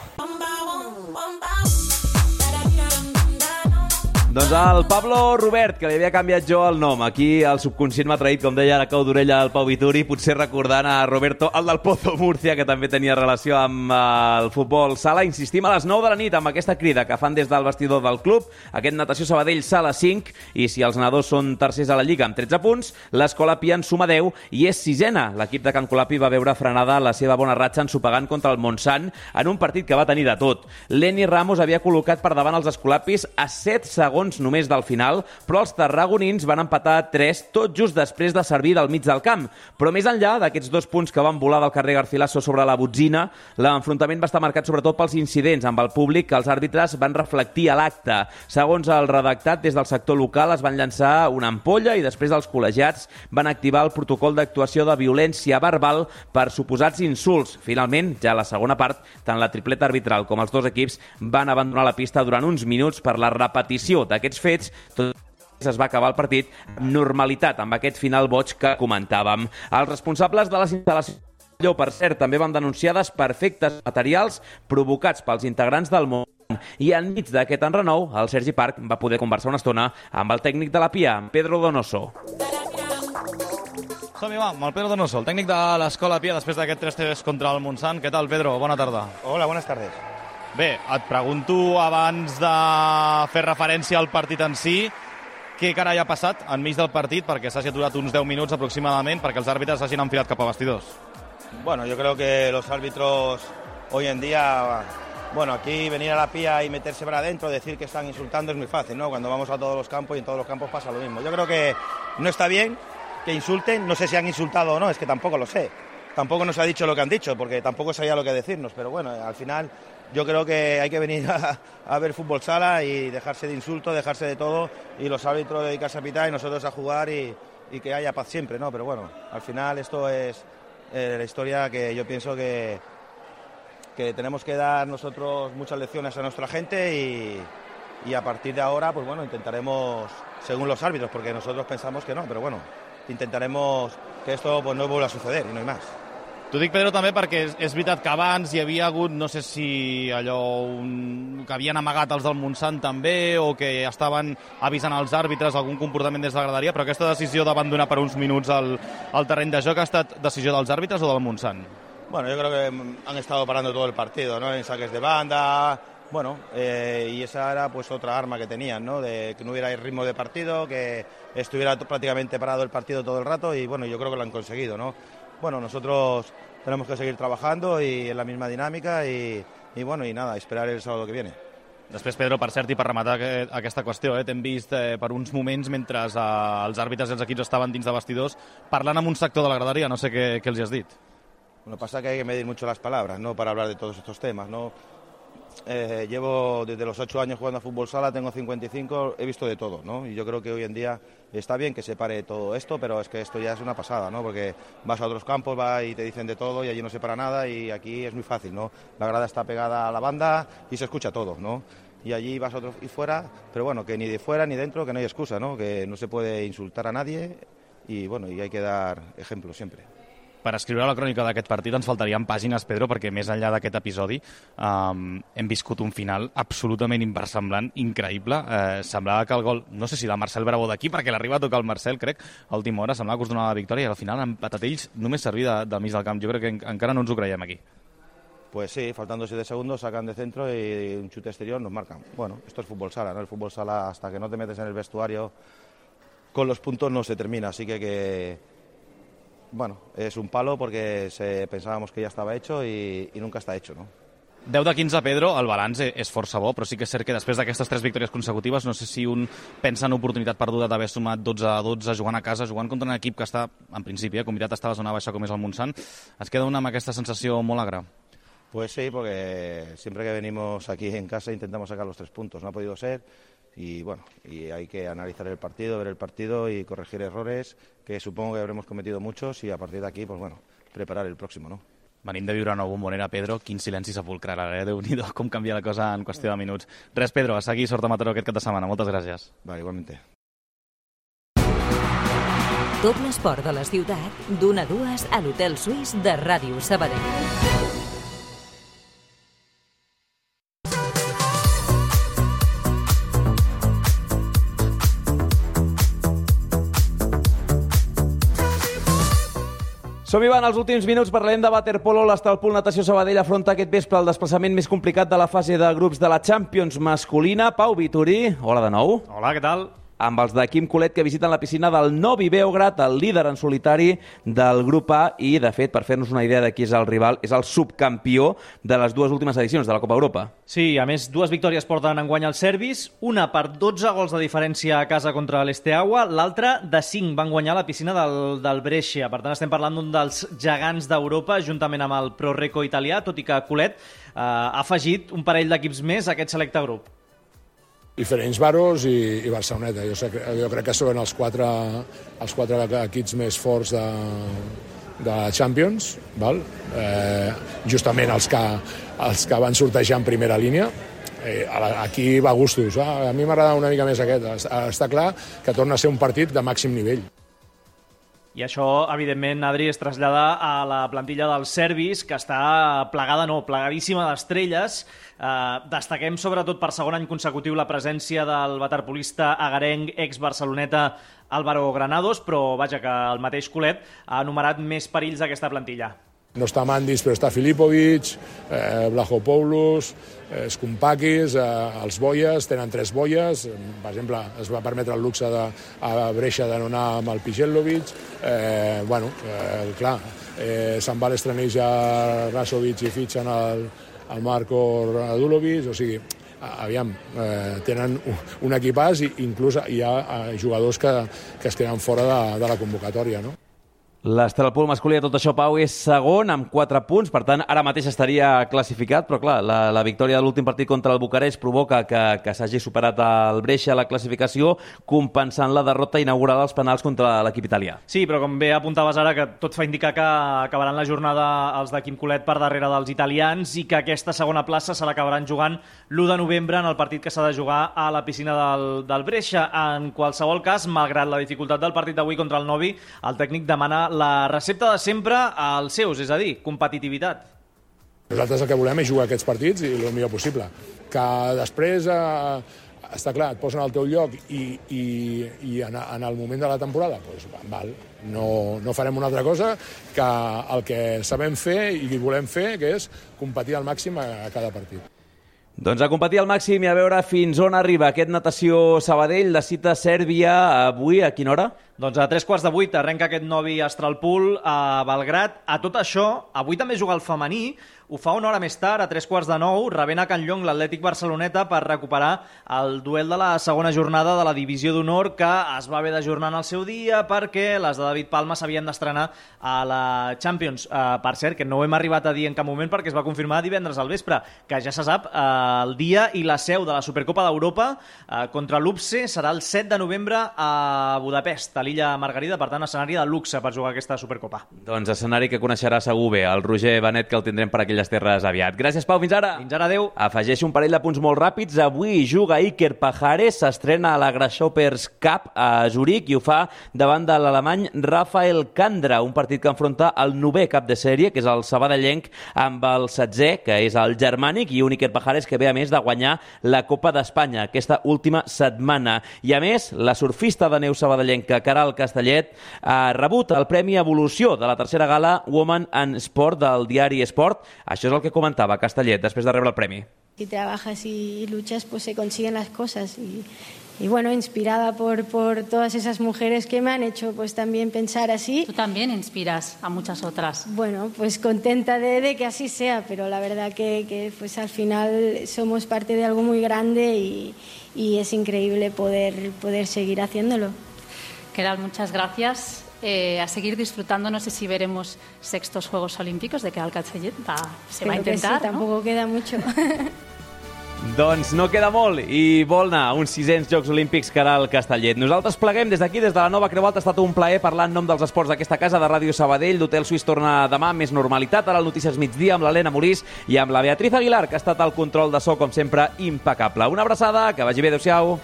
Doncs el Pablo Robert, que li havia canviat jo el nom. Aquí el subconscient m'ha traït, com deia la cau d'orella al Pau Vituri, potser recordant a Roberto, el del Pozo Múrcia, que també tenia relació amb el futbol sala. Insistim a les nou de la nit amb aquesta crida que fan des del vestidor del club, aquest Natació Sabadell Sala cinc, i si els nedadors són tercers a la Lliga amb tretze punts, l'Escola Pia en suma deu i és sisena. L'equip de Can Colapi va veure frenada la seva bona ratxa ensopegant contra el Montsant en un partit que va tenir de tot. Lenny Ramos havia col·locat per davant els escolapis a set segons només del final, però els tarragonins van empatar a tres tot just després de servir del mig del camp. Però més enllà d'aquests dos punts que van volar del carrer Garcilaso sobre la botzina, l'enfrontament va estar marcat sobretot pels incidents amb el públic que els àrbitres van reflectir a l'acte. Segons el redactat, des del sector local es van llançar una ampolla i després els col·legiats van activar el protocol d'actuació de violència verbal per suposats insults. Finalment, ja a la segona part, tant la tripleta arbitral com els dos equips van abandonar la pista durant uns minuts per la repetició d'aquests fets. Tot es va acabar el partit amb normalitat, amb aquest final boig que comentàvem. Els responsables de les instal·lacions, per cert, també van denunciar desperfectes materials provocats pels integrants del món. I enmig d'aquest enrenou, el Sergi Parc va poder conversar una estona amb el tècnic de la Pia, Pedro Donoso. Som-hi, va, amb el Pedro Donoso, el tècnic de l'Escola Pia, després d'aquest tres tres contra el Montsant. Què tal, Pedro? Bona tarda. Hola, buenas tardes. Bé, et pregunto, abans de fer referència al partit en si, què carai ha passat enmig del partit perquè s'hagi aturat uns deu minuts aproximadament perquè els àrbitres s'hagin enfilat cap a vestidors? Bueno, yo creo que los árbitros hoy en día, bueno, aquí venir a la Pía y meterse para adentro, decir que están insultando es muy fácil, ¿no? Cuando vamos a todos los campos y en todos los campos pasa lo mismo. Yo creo que no está bien que insulten, no sé si han insultado o no, es que tampoco lo sé. Tampoco nos ha dicho lo que han dicho, porque tampoco sabía lo que decirnos, pero bueno, al final yo creo que hay que venir a, a ver fútbol sala y dejarse de insultos, dejarse de todo, y los árbitros dedicarse a pitar y nosotros a jugar y, y que haya paz siempre, ¿no? Pero bueno, al final esto es eh, la historia que yo pienso que, que tenemos que dar nosotros muchas lecciones a nuestra gente y, y a partir de ahora, pues bueno, intentaremos, según los árbitros, porque nosotros pensamos que no, pero bueno, intentaremos que esto pues no vuelva a suceder y no hay más. T'ho dic, Pedro, també perquè és, és veritat que abans hi havia hagut, no sé si allò un, que havien amagat els del Montsant també, o que estaven avisant als àrbitres algun comportament des de la graderia, però aquesta decisió d'abandonar per uns minuts el, el terreny de joc ha estat decisió dels àrbitres o del Montsant? Bueno, yo creo que han estado parando todo el partido, ¿no? En saques de banda, bueno, eh, y esa era pues otra arma que tenían, ¿no? De que no hubiera ritmo de partido, que estuviera prácticamente parado el partido todo el rato, y bueno, yo creo que lo han conseguido, ¿no? Bueno, nosotros tenemos que seguir trabajando y en la misma dinámica y, y bueno, y nada, esperar el sábado que viene. Després, Pedro, per cert, i per rematar aquesta qüestió, eh, t'hem vist eh, per uns moments mentre eh, els àrbitres i els equips estaven dins de vestidors parlant amb un sector de la graderia, no sé què, què els has dit. Bueno, pasa que hay que medir mucho las palabras, ¿no? Para hablar de todos estos temas, ¿no? Eh, llevo desde los ocho años jugando a fútbol sala, tengo cincuenta y cinco, he visto de todo, ¿no? Y yo creo que hoy en día está bien que se pare todo esto, pero es que esto ya es una pasada, ¿no? Porque vas a otros campos, vas y te dicen de todo y allí no se para nada y aquí es muy fácil, ¿no? La grada está pegada a la banda y se escucha todo, ¿no? Y allí vas a otros y fuera, pero bueno, que ni de fuera ni dentro, que no hay excusa, ¿no? Que no se puede insultar a nadie y bueno, y hay que dar ejemplo siempre. Per escriure la crònica d'aquest partit ens faltarien pàgines, Pedro, perquè més enllà d'aquest episodi um, hem viscut un final absolutament inversemblant, increïble. Eh, semblava que el gol, no sé si del Marcel Bravo d'aquí, perquè l'arriba a tocar el Marcel, crec, a última hora, semblava que us donava la victòria i al final han empatat ells només servir de, del mig del camp. Jo crec que en, encara no ens ho creiem aquí. Pues sí, faltando siete segundos, sacan de centro y un chute exterior nos marcan. Bueno, esto es fútbol sala, ¿no? El fútbol sala, hasta que no te metes en el vestuario, con los puntos no se termina, así que que... Bueno, es un palo porque se, pensábamos que ya estaba hecho y, y nunca está hecho, ¿no? deu de quinze, Pedro, el balanç és força bo, però sí que és cert que després d'aquestes tres victòries consecutives no sé si un pensa en oportunitat perduda d'haver sumat dotze a dotze jugant a casa, jugant contra un equip que està, en principi, eh, convidat a estar a la zona baixa com és el Montsant. Es queda una amb aquesta sensació molt agra. Pues sí, porque siempre que venimos aquí en casa intentamos sacar los tres puntos. No ha podido ser y bueno, y hay que analizar el partido, ver el partido y corregir errores, que supongo que habremos cometido muchos y a partir de aquí, pues bueno, preparar el próximo, ¿no? Venim de viure una bombonera, Pedro, quin silenci sepulcral, eh? Déu-n'hi-do, com canvia la cosa en qüestió de minuts. Res, Pedro, a seguir, sort a Mataró aquest cap de setmana. Moltes gràcies. Vale, igualmente. Tot l'esport de la ciutat, d'una a dues a l'Hotel Suís de Ràdio Sabadell. Som-hi, van, els últims minuts parlem de waterpolo. L'Estalpol Natació Sabadell afronta aquest vespre el desplaçament més complicat de la fase de grups de la Champions masculina. Pau Vitorí, hola de nou. Hola, què tal? Amb els de Quim Colet, que visiten la piscina del Novi Beograd, el líder en solitari del grup A, i, de fet, per fer-nos una idea de qui és el rival, és el subcampió de les dues últimes edicions de la Copa Europa. Sí, a més, dues victòries porten enguany els serbis, una per dotze gols de diferència a casa contra l'Esteaua, l'altra de cinc van guanyar la piscina del, del Brescia. Per tant, estem parlant d'un dels gegants d'Europa, juntament amb el Pro Reco italià, tot i que Colet eh, ha afegit un parell d'equips més a aquest selecte grup. Diferents Varos i, i Barceloneta. Jo, sé, jo crec que són els quatre, els quatre equips més forts de, de Champions, val? Eh, justament els que, els que van sortejar en primera línia. Eh, aquí va a gustos. Eh? A mi m'agrada una mica més aquest. Està clar que torna a ser un partit de màxim nivell. I això, evidentment, Adri, es trasllada a la plantilla dels serbis, que està plegada, no, plegadíssima d'estrelles. Eh, destaquem, sobretot, per segon any consecutiu la presència del waterpolista agarenc ex-barceloneta Álvaro Granados, però, vaja, que el mateix Colet ha enumerat més perills d'aquesta plantilla. No està Mandis, però està Filipovic, eh, Blachopoulos, eh, Skumpakis, eh, els Boies, tenen tres Boies. Per exemple, es va permetre el luxe de, a Brescia de no anar amb el Pijelovic. Eh, bueno, eh, clar, eh, se'n va l'estraneix a Rasovic i fitxen el, el Marko Radulovic, o sigui, aviam, eh, tenen un, un equipàs i inclús hi ha eh, jugadors que, que es queden fora de, de la convocatòria, no? L'Estalpol masculí, tot això, Pau, és segon amb quatre punts, per tant, ara mateix estaria classificat, però clar, la, la victòria de l'últim partit contra el Bucarest provoca que, que s'hagi superat el Brescia a la classificació, compensant la derrota inaugurada als penals contra l'equip italià. Sí, però com bé apuntaves ara, que tot fa indicar que acabaran la jornada els de Quim Colet per darrere dels italians i que aquesta segona plaça se l'acabaran jugant l'u de novembre en el partit que s'ha de jugar a la piscina del, del Brescia. En qualsevol cas, malgrat la dificultat del partit d'avui contra el Novi, el tècnic demana la recepta de sempre als seus, és a dir, competitivitat. Nosaltres el que volem és jugar aquests partits i el millor possible. Que després, eh, està clar, et posen al teu lloc i, i, i en, en el moment de la temporada, doncs, val, no, no farem una altra cosa que el que sabem fer i volem fer, que és competir al màxim a, a cada partit. Doncs a competir al màxim i a veure fins on arriba aquest Natació Sabadell, la cita Sèrbia avui, a quina hora? Doncs a tres quarts de vuit arrenca aquest Novi Astralpool a Belgrat. A tot això, avui també juga el femení, ho fa una hora més tard, a tres quarts de nou, rebent a Can Llong l'Atlètic Barceloneta per recuperar el duel de la segona jornada de la Divisió d'Honor, que es va haver d'ajornar en el seu dia perquè les de David Palma s'havien d'estrenar a la Champions. Uh, per cert, que no ho hem arribat a dir en cap moment perquè es va confirmar divendres al vespre, que ja se sap uh, el dia i la seu de la Supercopa d'Europa uh, contra l'U P S E serà el set de novembre a Budapest, a l'illa Margarida, per tant, escenari de luxe per jugar aquesta Supercopa. Doncs escenari que coneixerà segur bé el Roger Benet, que el tindrem per aquelles terres aviat. Gràcies, Pau, fins ara. Fins ara, adeu. Afegeixo un parell de punts molt ràpids. Avui juga Iker Pajares, s'estrena a la Grasshoppers Cup a Zurich i ho fa davant de l'alemany Rafael Candra, un partit que enfronta el novè cap de sèrie, que és el sabadellenc, amb el setzè, que és el germànic, i un Iker Pajares que ve a més de guanyar la Copa d'Espanya aquesta última setmana. I a més, la surfista de neu sabadellenca Caral Castellet ha rebut el Premi Evolució de la tercera gala Woman and Sport del diari Esport. Això és el que comentava Castellet després de rebre el premi. Si trabajas y luchas, pues se consiguen las cosas. Y, y bueno, inspirada por, por todas esas mujeres que me han hecho pues también pensar así. Tú también inspiras a muchas otras. Bueno, pues contenta de, de que así sea, pero la verdad que, que pues al final somos parte de algo muy grande y, y es increíble poder, poder seguir haciéndolo. Caral, muchas gracias. Eh, a seguir disfrutando, no sé si veremos sextos Juegos Olímpicos de Caral Castellet, va, se Creo va a intentar, que sí, ¿no? Tampoco queda mucho. Doncs no queda molt i vol anar a uns sisens Jocs Olímpics Caral Castellet. Nosaltres pleguem des d'aquí, des de la nova Creu Alta. Ha estat un plaer parlar en nom dels esports d'aquesta casa de Ràdio Sabadell. L'Hotel Suís torna demà amb més normalitat. Ara el Notícies Migdia amb l'Helena Morís i amb la Beatriz Aguilar, que ha estat al control de so, com sempre, impecable. Una abraçada, que vagi bé, adéu-siau.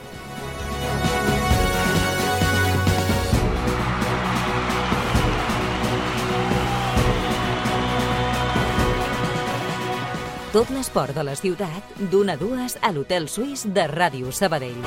Tot l'esport de la ciutat, d'una a dues a l'Hotel Suís de Ràdio Sabadell.